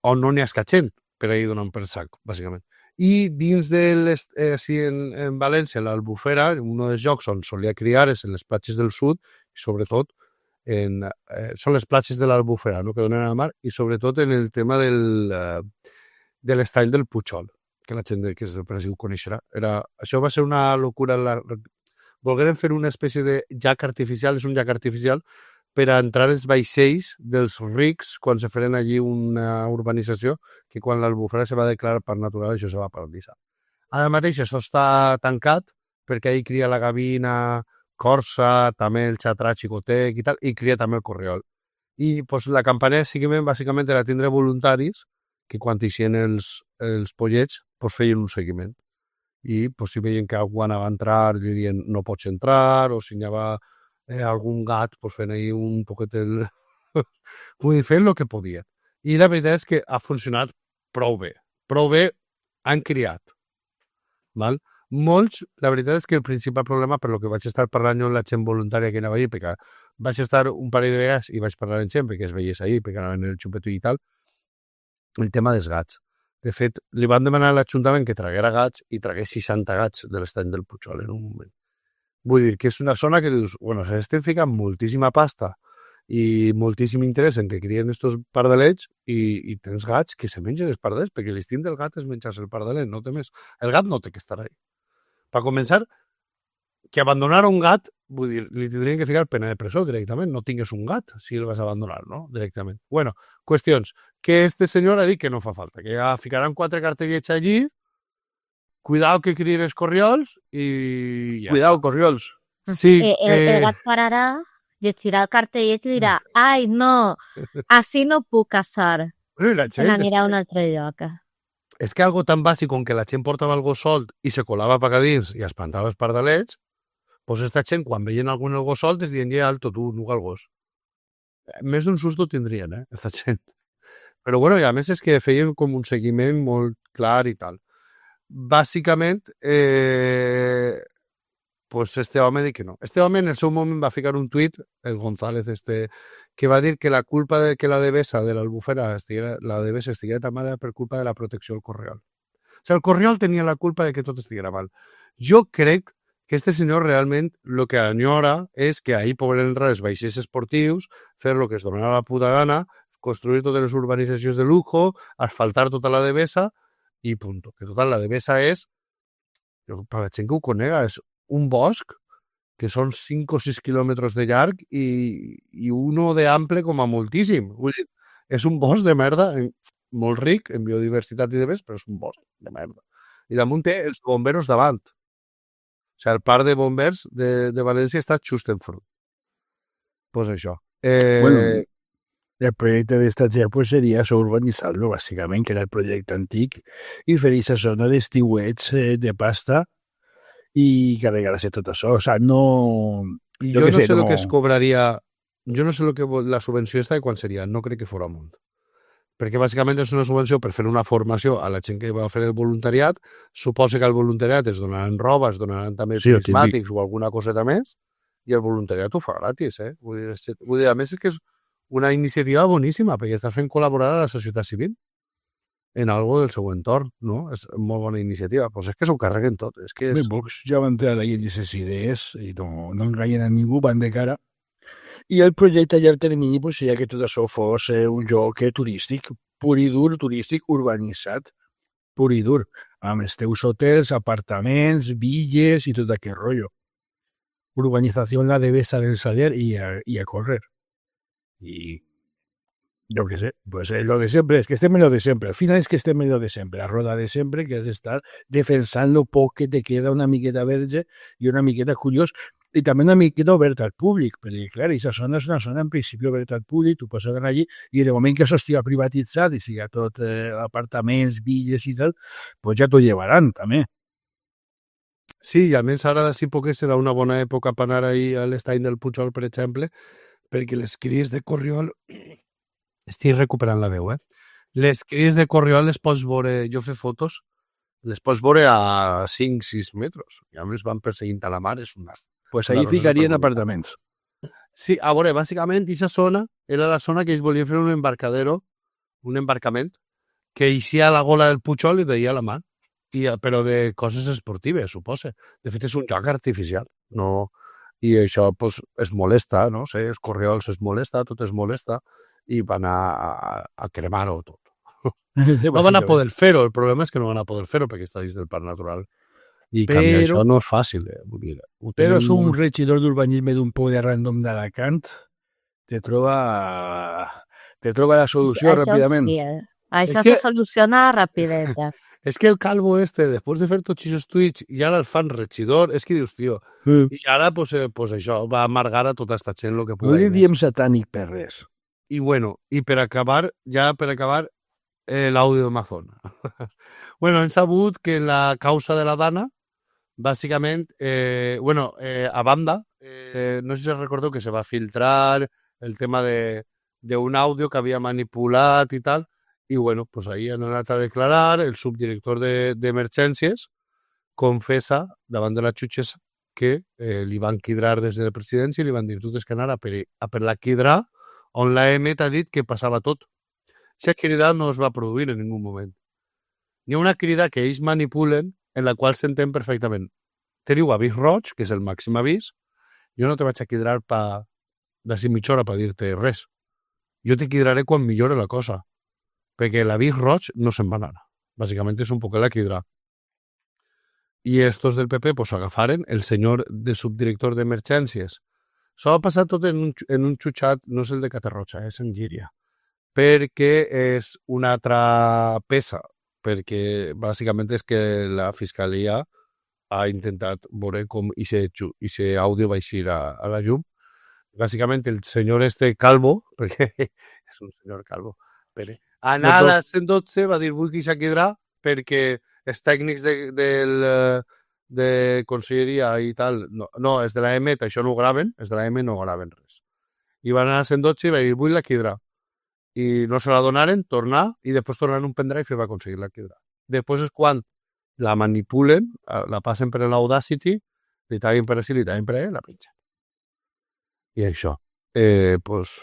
on no n'hi ha escatxent per ahir donant per sac, bàsicament. I dins així en València, l'Albufera, un dels llocs on solia criar és en les platges del sud i sobretot són les platges de l'Albufera, no?, que donen al mar, i sobretot en el tema de l'estany del Pujol, que la gent que és del Brasil ho coneixerà. Això va ser una locura. Volgueren fer una espècie de llac artificial, és un llac artificial, per a entrar els vaixells dels rics quan se feren allí una urbanització que quan l'Albufera se va declarar parc natural això se va paralitzar. Ara mateix això està tancat perquè ahí cria la gavina corsa, també el xatrà xicotec i tal, i cria també el corriol. I pues, la campanya de seguiment bàsicament era tindre voluntaris que quan eixien els pollets pues, feien un seguiment. I pues, si veien que algú anava a entrar dirien no pots entrar, o si hi havia algun gat pues, fent ahí un poquet el... Vull dir, fent el que podia. I la veritat és que ha funcionat prou bé. Prou bé han criat. Val? Molts, la veritat és que el principal problema, per lo que vaig estar parlant amb la gent voluntària que anava allí, perquè vaig estar un parell de vegades i vaig parlar amb gent perquè es veiés ahí, perquè anaven el xupeto i tal, el tema dels gats. De fet, li van demanar a l'Ajuntament que traguera gats i tragués 60 gats de l'estany del Pujol en un moment. Vull dir que és una zona que dius, bueno, s'estan ficant moltíssima pasta i moltíssim interès en que crien estos pardalets i tens gats que se mengen els pardalets, perquè l'instint del gat és menjar-se el pardalet, no té més. El gat no té que estar ahí. Per començar, que abandonar un gat, vull dir, li tindrien que ficar pena de presó directament, no tingues un gat si el vas abandonar, no? Directament. Bueno, qüestions, que este senyor ha dit que no fa falta, que ja ficaran 4 cartellets allí, cuidao que crien els corriols i ja Cuidao, està. corriols. Sí, El gat pararà, llegirà el cartellet i dirà ai, no, així no puc caçar. Bueno, i la Se gent, n'anirà a un altre lloc. és que algo tan bàsic com que la gent portava el gos solt i se colava per dins i espantava els pardalets, pues esta gent, quan veien algun el gos solt, es diuen, ja, alto, tu, nuga el gos. Més d'un susto tindrien, esta gent. Però bueno, i a més és que feien com un seguiment molt clar i tal. Bàsicament, pues este home diu que no. Este home en el seu moment va ficar un tuit, el González que va dir que la culpa de que la devesa de l'Albufera estiguera tan mala per culpa de la protecció del corriol. O sigui, el corriol tenia la culpa de que tot estiguera mal. Jo crec que este senyor realment el que enyora és que ahir poden entrar els vaixells esportius, fer el que es donarà la puta gana, construir totes les urbanitzacions de lujo, asfaltar tota la devesa i punto. Que total, la devesa és, per la gent que ho conega, és un bosc que són 5 o 6 quilòmetres de llarg i uno de ample com a moltíssim. Vull dir, és un bosc de merda molt ric en biodiversitat i de més, però és un bosc de merda. I damunt té els bomberos davant. O sigui, el parc de bombers de València està just enfront. Pues això. Bueno, el projecte d'esta gent pues, seria això, urbanitzar-lo, bàsicament, que era el projecte antic, i fer aquesta zona d'estiuets de pasta i carregar-se tot això. O sigui, no... Jo no sé el que es cobraria... Jo no sé la subvenció esta de quan seria. No crec que fos amunt. Perquè bàsicament és una subvenció per fer una formació a la gent que va fer el voluntariat. Suposa que al voluntariat es donaran roba, es donaran també prismàtics o alguna coseta més, i el voluntariat ho fa gratis, Vull dir, a més és que és una iniciativa boníssima, perquè està fent col·laborar a la societat civil en algo del seu entorn, no? És molt bona iniciativa. Pues és que s'ho carreguen tot. És que és... Bé, Vox ja va entrar ahí en aquestes idees i no enganyen a ningú, van de cara. I el projecte a llarg termini pues, seria que tot això fos un lloc turístic, pur i dur, turístic urbanitzat, pur i dur, amb els teus hotels, apartaments, villes i tot aquest rotllo. Urbanització en la devesa del Saler i a córrer. I yo qué sé, pues lo de siempre, es que estem en lo de siempre. Al final es que estem en lo de siempre, la roda de siempre, que has d'estar defensant lo poc que te queda una miqueta verge i una miqueta curiós i també una miqueta oberta al públic, perquè clar, aquesta zona és una zona en principi oberta al públic, tu pots anar allí i en el moment que això estigui privatitzat i siga tot apartaments, villes i tal, pues ja t'ho llevaran també. Sí, i a més ara d'ací poc serà una bona època per anar ahí a l'estany del Pujol, per exemple, perquè les cries de corriol... Estic recuperant la veu, Les cries de Corriol les pots veure, jo fer fotos, les pots veure a 5-6 metres. I a més van perseguint a la mar, és una... Pues La allí cosa és ficarien superbonica. apartaments. Sí, a veure, bàsicament, aquesta zona era la zona que ells volien fer un embarcadero, un embarcament, que eixia a la gola del Pujol i deia a la mar. Però de coses esportives, suposa. De fet, és un joc artificial. No... I això pues, es molesta, no sé, els Corriols es molesta, tot es molesta, i van a cremar-ho tot. No van a poder fer-ho, el problema és que no van a poder fer-ho perquè està dins del parc natural. I canviar Però- això no és fàcil. Vull dir, ho Però tenen és un molt- regidor d'urbanisme d'un poble random d'Alacant, te troba la solució ràpidament. Sí, Això És que- se soluciona rapideta. És que el calvo després de fer tots aquests tuits, i ara el fan regidor, és que dius, tio, i ara, pues això, va amargar a tota esta gent el que No pugui. li diem satànic per res. I bueno, i per acabar, l'àudio d'Amazon. Bueno, hem sabut que la causa de la Dana, bàsicament, a banda, no sé si recordeu que se va filtrar el tema d'un àudio que havia manipulat i tal, i bueno, pues ahí han anat a declarar, el subdirector d'emergències confessa davant de la jutgessa que li van quidrar des de la presidència i li van dir, tu tens que anar a per la quidrar, on l'AM t'ha dit que passava tot. Aquesta crida no es va produir en ningú moment. Hi ha una crida que ells manipulen en la qual s'entén perfectament. Teniu avís roig, que és el màxim avís, jo no te vaig a quidrar d'ací mitja hora per dir-te res. Jo te quidraré quan millore la cosa, perquè l'avís roig no se'n va anar. Bàsicament és un poc la quidra. I estos del PP pues, agafaren el senyor de subdirector d'emergències. S'ho va passar tot en un xutxat, no és el de Catarroja, és en Llíria, perquè és una altra peça, perquè bàsicament és que la Fiscalia ha intentat veure com aquest àudio va eixir a la llum. Bàsicament el senyor calvo, perquè és un senyor calvo, Pere, anar a la 112 va dir vull que s'ha quedarà perquè els tècnics de conselleria i tal, no, els de la EMET això no ho graven, els de la EMET no graven res. I van anar a 112 i va dir vull la quidra. I no se la donaren, tornar, i després tornaren un pendrive i va aconseguir la quidra. Després és quan la manipulen, la passen per l'Audacity, li taguen per així, li taguen per allà, la pengen. I això, pues...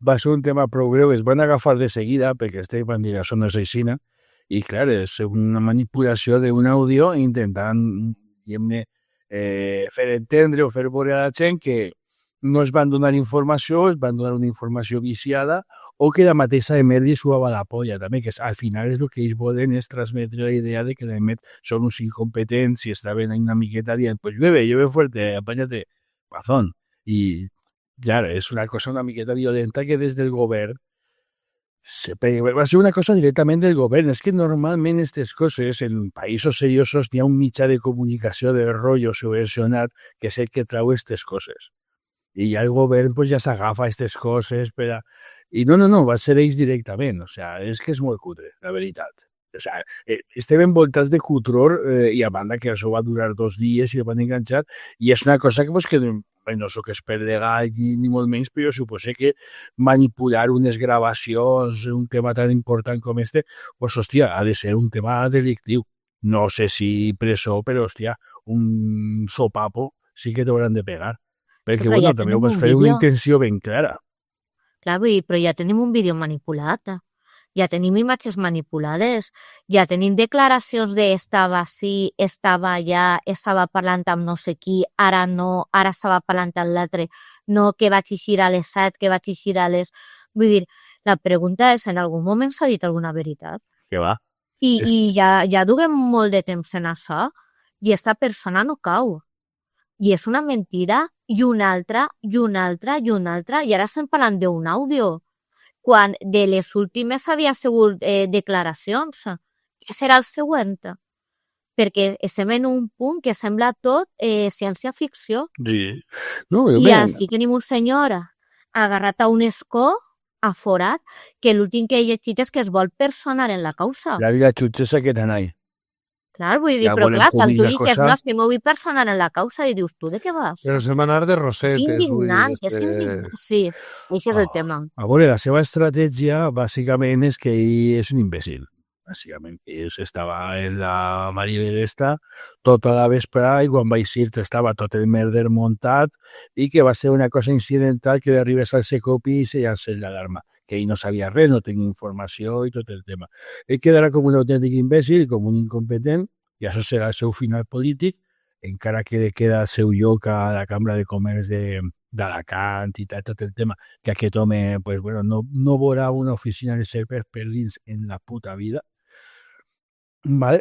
Va ser un tema prou greu, es van agafar de seguida perquè van dir això no és aixina i clar, és una manipulació d'un àudio intentant fer entendre o fer veure a la gent que no es van donar informació, es van donar una informació viciada o que la mateixa EMET li suava la polla també, que al final és el que ells volen és transmetre la idea de que la EMET són uns incompetents i estaven una miqueta dient pues llueve fuerte, apáñate, pazón. I clar, és una cosa una miqueta violenta que des del govern va ser una cosa directament del govern. És que normalment aquestes coses en països seriosos hi ha un mitjà de comunicació de rotllo subvencionat que és el que trau aquestes coses. I ja el govern pues, ja s'agafa aquestes coses per a... I no, va ser ells directament. O sea, és que és molt cutre, la veritat. O sea, estem envoltats de cutror i a banda que això va durar 2 dies i el van enganxar i és una cosa que, pues, que no soc expert legal ni molt menys, però jo suposo que manipular unes gravacions, un tema tan important com este, pues, hòstia, ha de ser un tema delictiu. No sé si presó, però, hòstia, un sopapo sí que t'hauran de pegar. Perquè, Sí, però bueno, ja també ho tenim vas un fer una vídeo. intenció ben clara. Clar, vull dir, però ja tenim un vídeo manipulat. Ja tenim imatges manipulades, ja tenim declaracions de estava així, estava allà, estava parlant amb no sé qui, ara no, ara estava parlant amb l'altre, no, que vaig eixir a les 7, que vaig eixir a les... Vull dir, la pregunta és, en algun moment s'ha dit alguna veritat? Que va. I ja duguem molt de temps en això, i esta persona no cau. I és una mentira, i una altra, i una altra, i una altra, i ara estem parlant d'un àudio, quan de les últimes havia sigut declaracions. Què serà el següent? Perquè estem en un punt que sembla tot ciència-ficció. Sí. No, I així tenim un senyor agarrat a un escó, aforat, que l'últim que he llegit és que es vol personar en la causa. La vida xutxessa que t'anai. Clar, vull dir, Ja però volem clar, quan tu comillas, dices, cosa. no, és que m'ho vull personar en la causa i dius, tu de què vas? Però se'n va anar de És rosetes, vull dir, indignant, és indignant. Sí, això és el tema. A veure, la seva estratègia, bàsicament, és que ell és un imbècil. Bàsicament, ell estava en la Maribel esta tota la vesprada i quan va eixir estava tot el merder muntat i que va ser una cosa incidental que d'arribes al Secopi i se llancés l'alarma. Que ell no sabia res, no tenia informació i tot el tema. Ell quedarà com un autèntic imbècil, com un incompetent, i això serà el seu final polític, encara que li queda el seu lloc a la Cambra de Comerç d'Alacant i tot el tema, que aquest home pues, bueno, no veurà una oficina de serveis per dins en la puta vida, vale?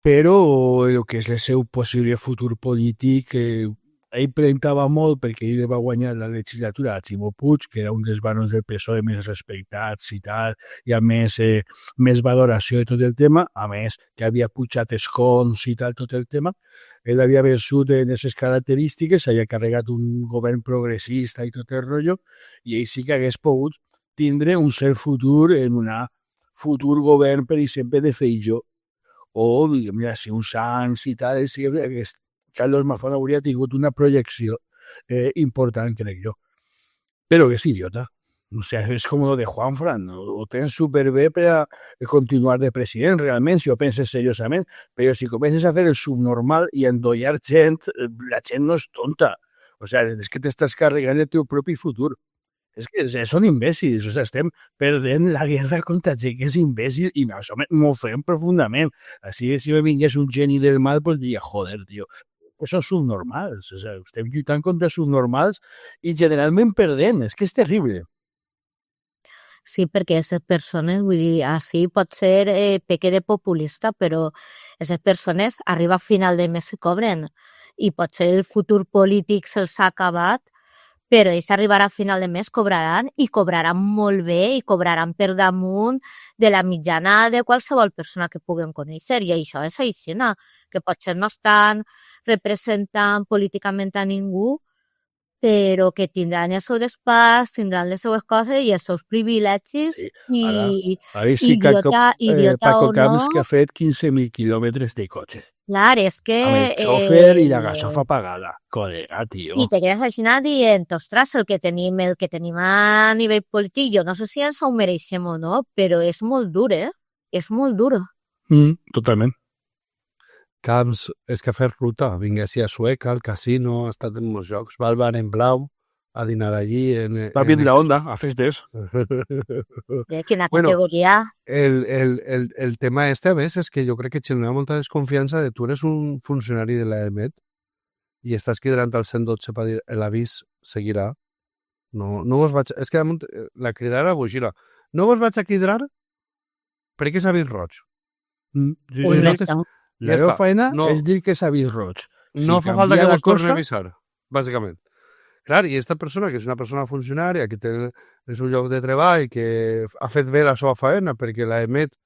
Però el que és el seu possible futur polític, ell presentava molt perquè ell va guanyar la legislatura a Ximo Puig, que era un dels barons del PSOE més respectats i tal, i a més, més valoració de tot el tema, a més que havia pujat escons i tal, tot el tema. Ell havia vençut en aquestes característiques, havia carregat un govern progressista i tot el rotllo, i ell sí que hagués pogut tindre un cert futur en un futur govern, per exemple, de Feijóo, o, mira, si un Sanz i tal, sí que Carlos Mazón hauria tingut una projecció important, crec jo. Però que és idiota. O sigui, és com lo de Juanfran. Ho tens superbé per a continuar de president, realment, si ho penses seriosament. Però si comences a fer el subnormal i a endollar gent, la gent no és tonta. O sigui, és que t'estàs carregant el teu propi futur. És que són imbècils, o sigui, estem perdent la guerra contra gent que és imbècil i això m'ofèn profundament. Així que si me vingués un geni del mal, pues diria, joder, tio, pues són subnormals, o sigui, estem lluitant contra subnormals i generalment perdent, és que és terrible. Sí, perquè aquestes persones, vull dir, així pot ser peque de populista, però aquestes persones arriba a final de mes i cobren i potser el futur polític se'ls ha acabat, però ells arribarà a final de mes, cobraran molt bé i cobraran per damunt de la mitjana de qualsevol persona que puguen conèixer. I això és així, que potser no estan representant políticament a ningú, però que tindran el seu despatx, tindran les seues coses i els seus privilegis. Sí, I sí que idiota Paco o no. Camps que ha fet 15.000 quilòmetres de cotxe. Clar, és que... Amb el xòfer i la gasofa pagada. Col·lega, tio. I te quedes així dient, ostres, el que tenim a nivell polític, jo no sé si ens ho mereixem o no, però és molt dur, És molt dur. Totalment. Camps, és que ha fet ruta, vinga a Sueca, al casino, ha estat en molts jocs, va al bar en blau, a dinar allí... Va bien la onda, a festes. De quina Bueno, categoria... El tema este, a més, és que jo crec que genera molta desconfiança de tu eres un funcionari de l'EMET i estàs cridant al 112 per dir l'avís seguirà. No vos vaig... És que la cridara vos gira. No vos vaig a cridar perquè és avís roig. Sí, Ui, sí, no està. La Ja meva està. feina No. és dir que és avís roig. No fa falta que canvia la vos torni a cosa, avisar, bàsicament. Clar, i aquesta persona, que és una persona funcionària, que té el seu lloc de treball, que ha fet bé la seva faena, perquè l'EMET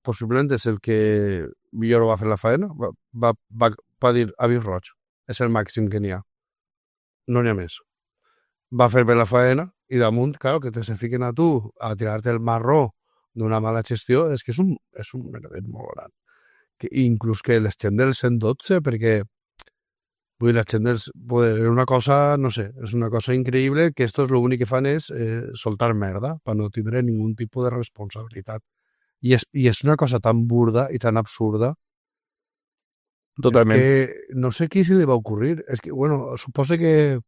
possiblement és el que millor va fer la faena, va dir avís roig. És el màxim que n'hi ha. No n'hi ha més. Va fer bé la faena i damunt, clar, que te se fiquen a tu a tirar-te el marró d'una mala gestió, és que és un merder molt gran. Que inclús que les gent del 112, perquè vull dir, la gent dels... És una cosa, no sé, és una cosa increïble que estos lo únic que fan és soltar merda per no tindre ningun tipus de responsabilitat. I és una cosa tan burda i tan absurda. Totalment. És que no sé qui se li va ocurrir. És que, bueno, suposo que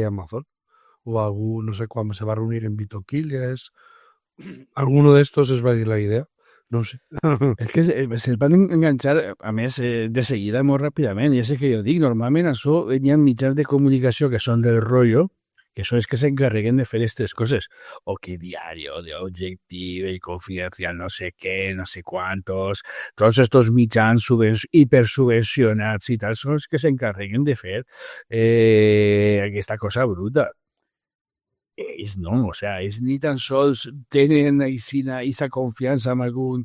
Amazon o algú, no sé, quan se va reunir en Vito Quiles, alguno d'estos es va dir la idea. No sé. És que se'l van enganxar, a més, de seguida molt ràpidament, i és el que jo dic, normalment això hi ha mitjans de comunicació que són del rotllo, que són els que s'encarreguen de fer aquestes coses, o que Diario, de Objectiu, i Confidencial, no sé què, no sé quantos, tots estos mitjans hipersubvencionats i tal, són els que s'encarreguen de fer aquesta cosa bruta. Ells no, o sea, ells ni tan sols tenen aquesta confiança en algun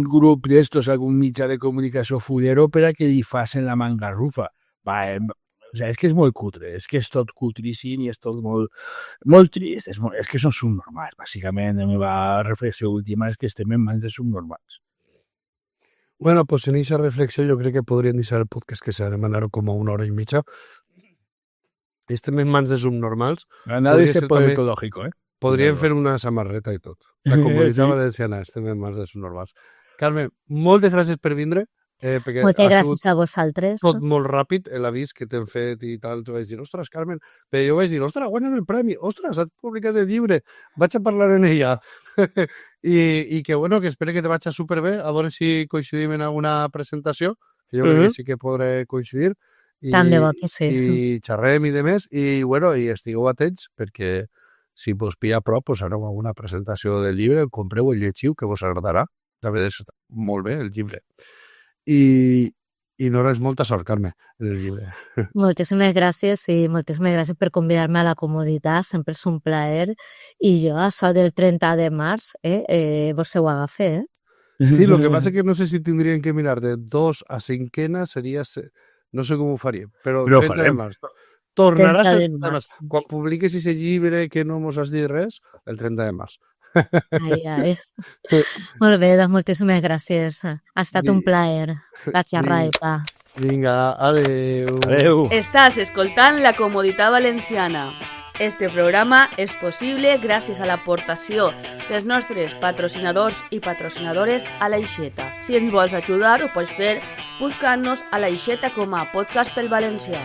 grup d'estos, algun mitjà de comunicació fulero per a que li facin la mangarrufa. O sea, és que és molt cutre, és que és tot cutríssim i és tot molt trist, és que són subnormals, bàsicament. La meva reflexió última és que estem en mans de subnormals. Bueno, pues en esa reflexió yo crec que podríem deixar el podcast que s'ha de mandar com a 1 hora i mitja. Estem en mans de subnormals. Nadie se ser puede també- ecológico, Podríem Claro. fer una samarreta i tot. La Comunitat Sí. Valenciana, estem en mans de subnormals. Carme, moltes gràcies per vindre, perquè Moltes ha sigut gràcies a vosaltres. tot molt ràpid, l'avís que t'hem fet i tal. Tu vaig dir, ostres, Carmen, però jo vaig dir, ostres, guanyat el premi, ostres, has publicat el llibre, vaig a parlar en ella. I que, bueno, que espero que te vagi superbé, a veure si coincidim en alguna presentació, que jo crec que sí que podré coincidir. Tant de bo que sí. I xerrem i de més, i, bueno, i estigueu atents, perquè si vos pilla a prop, pues aneu a una presentació del llibre, compreu el llegiu, que vos agradarà. També és molt bé, el llibre. I no res, molta sort, Carme, en el llibre. Moltíssimes gràcies i moltíssimes gràcies per convidar-me a la comoditat, sempre és un plaer. I jo, això del 30 de març, vos ho agafe, Sí, lo que pasa es que no sé si tendrían que mirar de 2 a 5 sería, no sé com ho faríem, però Però ho 30 de farem. març. Tornaràs 30 a de març. quan publiques ese llibre que no mos has dit res, el 30 de març. Ai, ai. Molt bé, doncs moltíssimes gràcies. Ha estat un plaer. La xerraeta. Vinga, adeu. Adeu. Estàs escoltant La Comoditat Valenciana. Este programa és possible gràcies a l'aportació dels nostres patrocinadors i patrocinadores a l'Aixeta. Si ens vols ajudar, ho pots fer buscant-nos a l'Aixeta com a podcast pel valencià.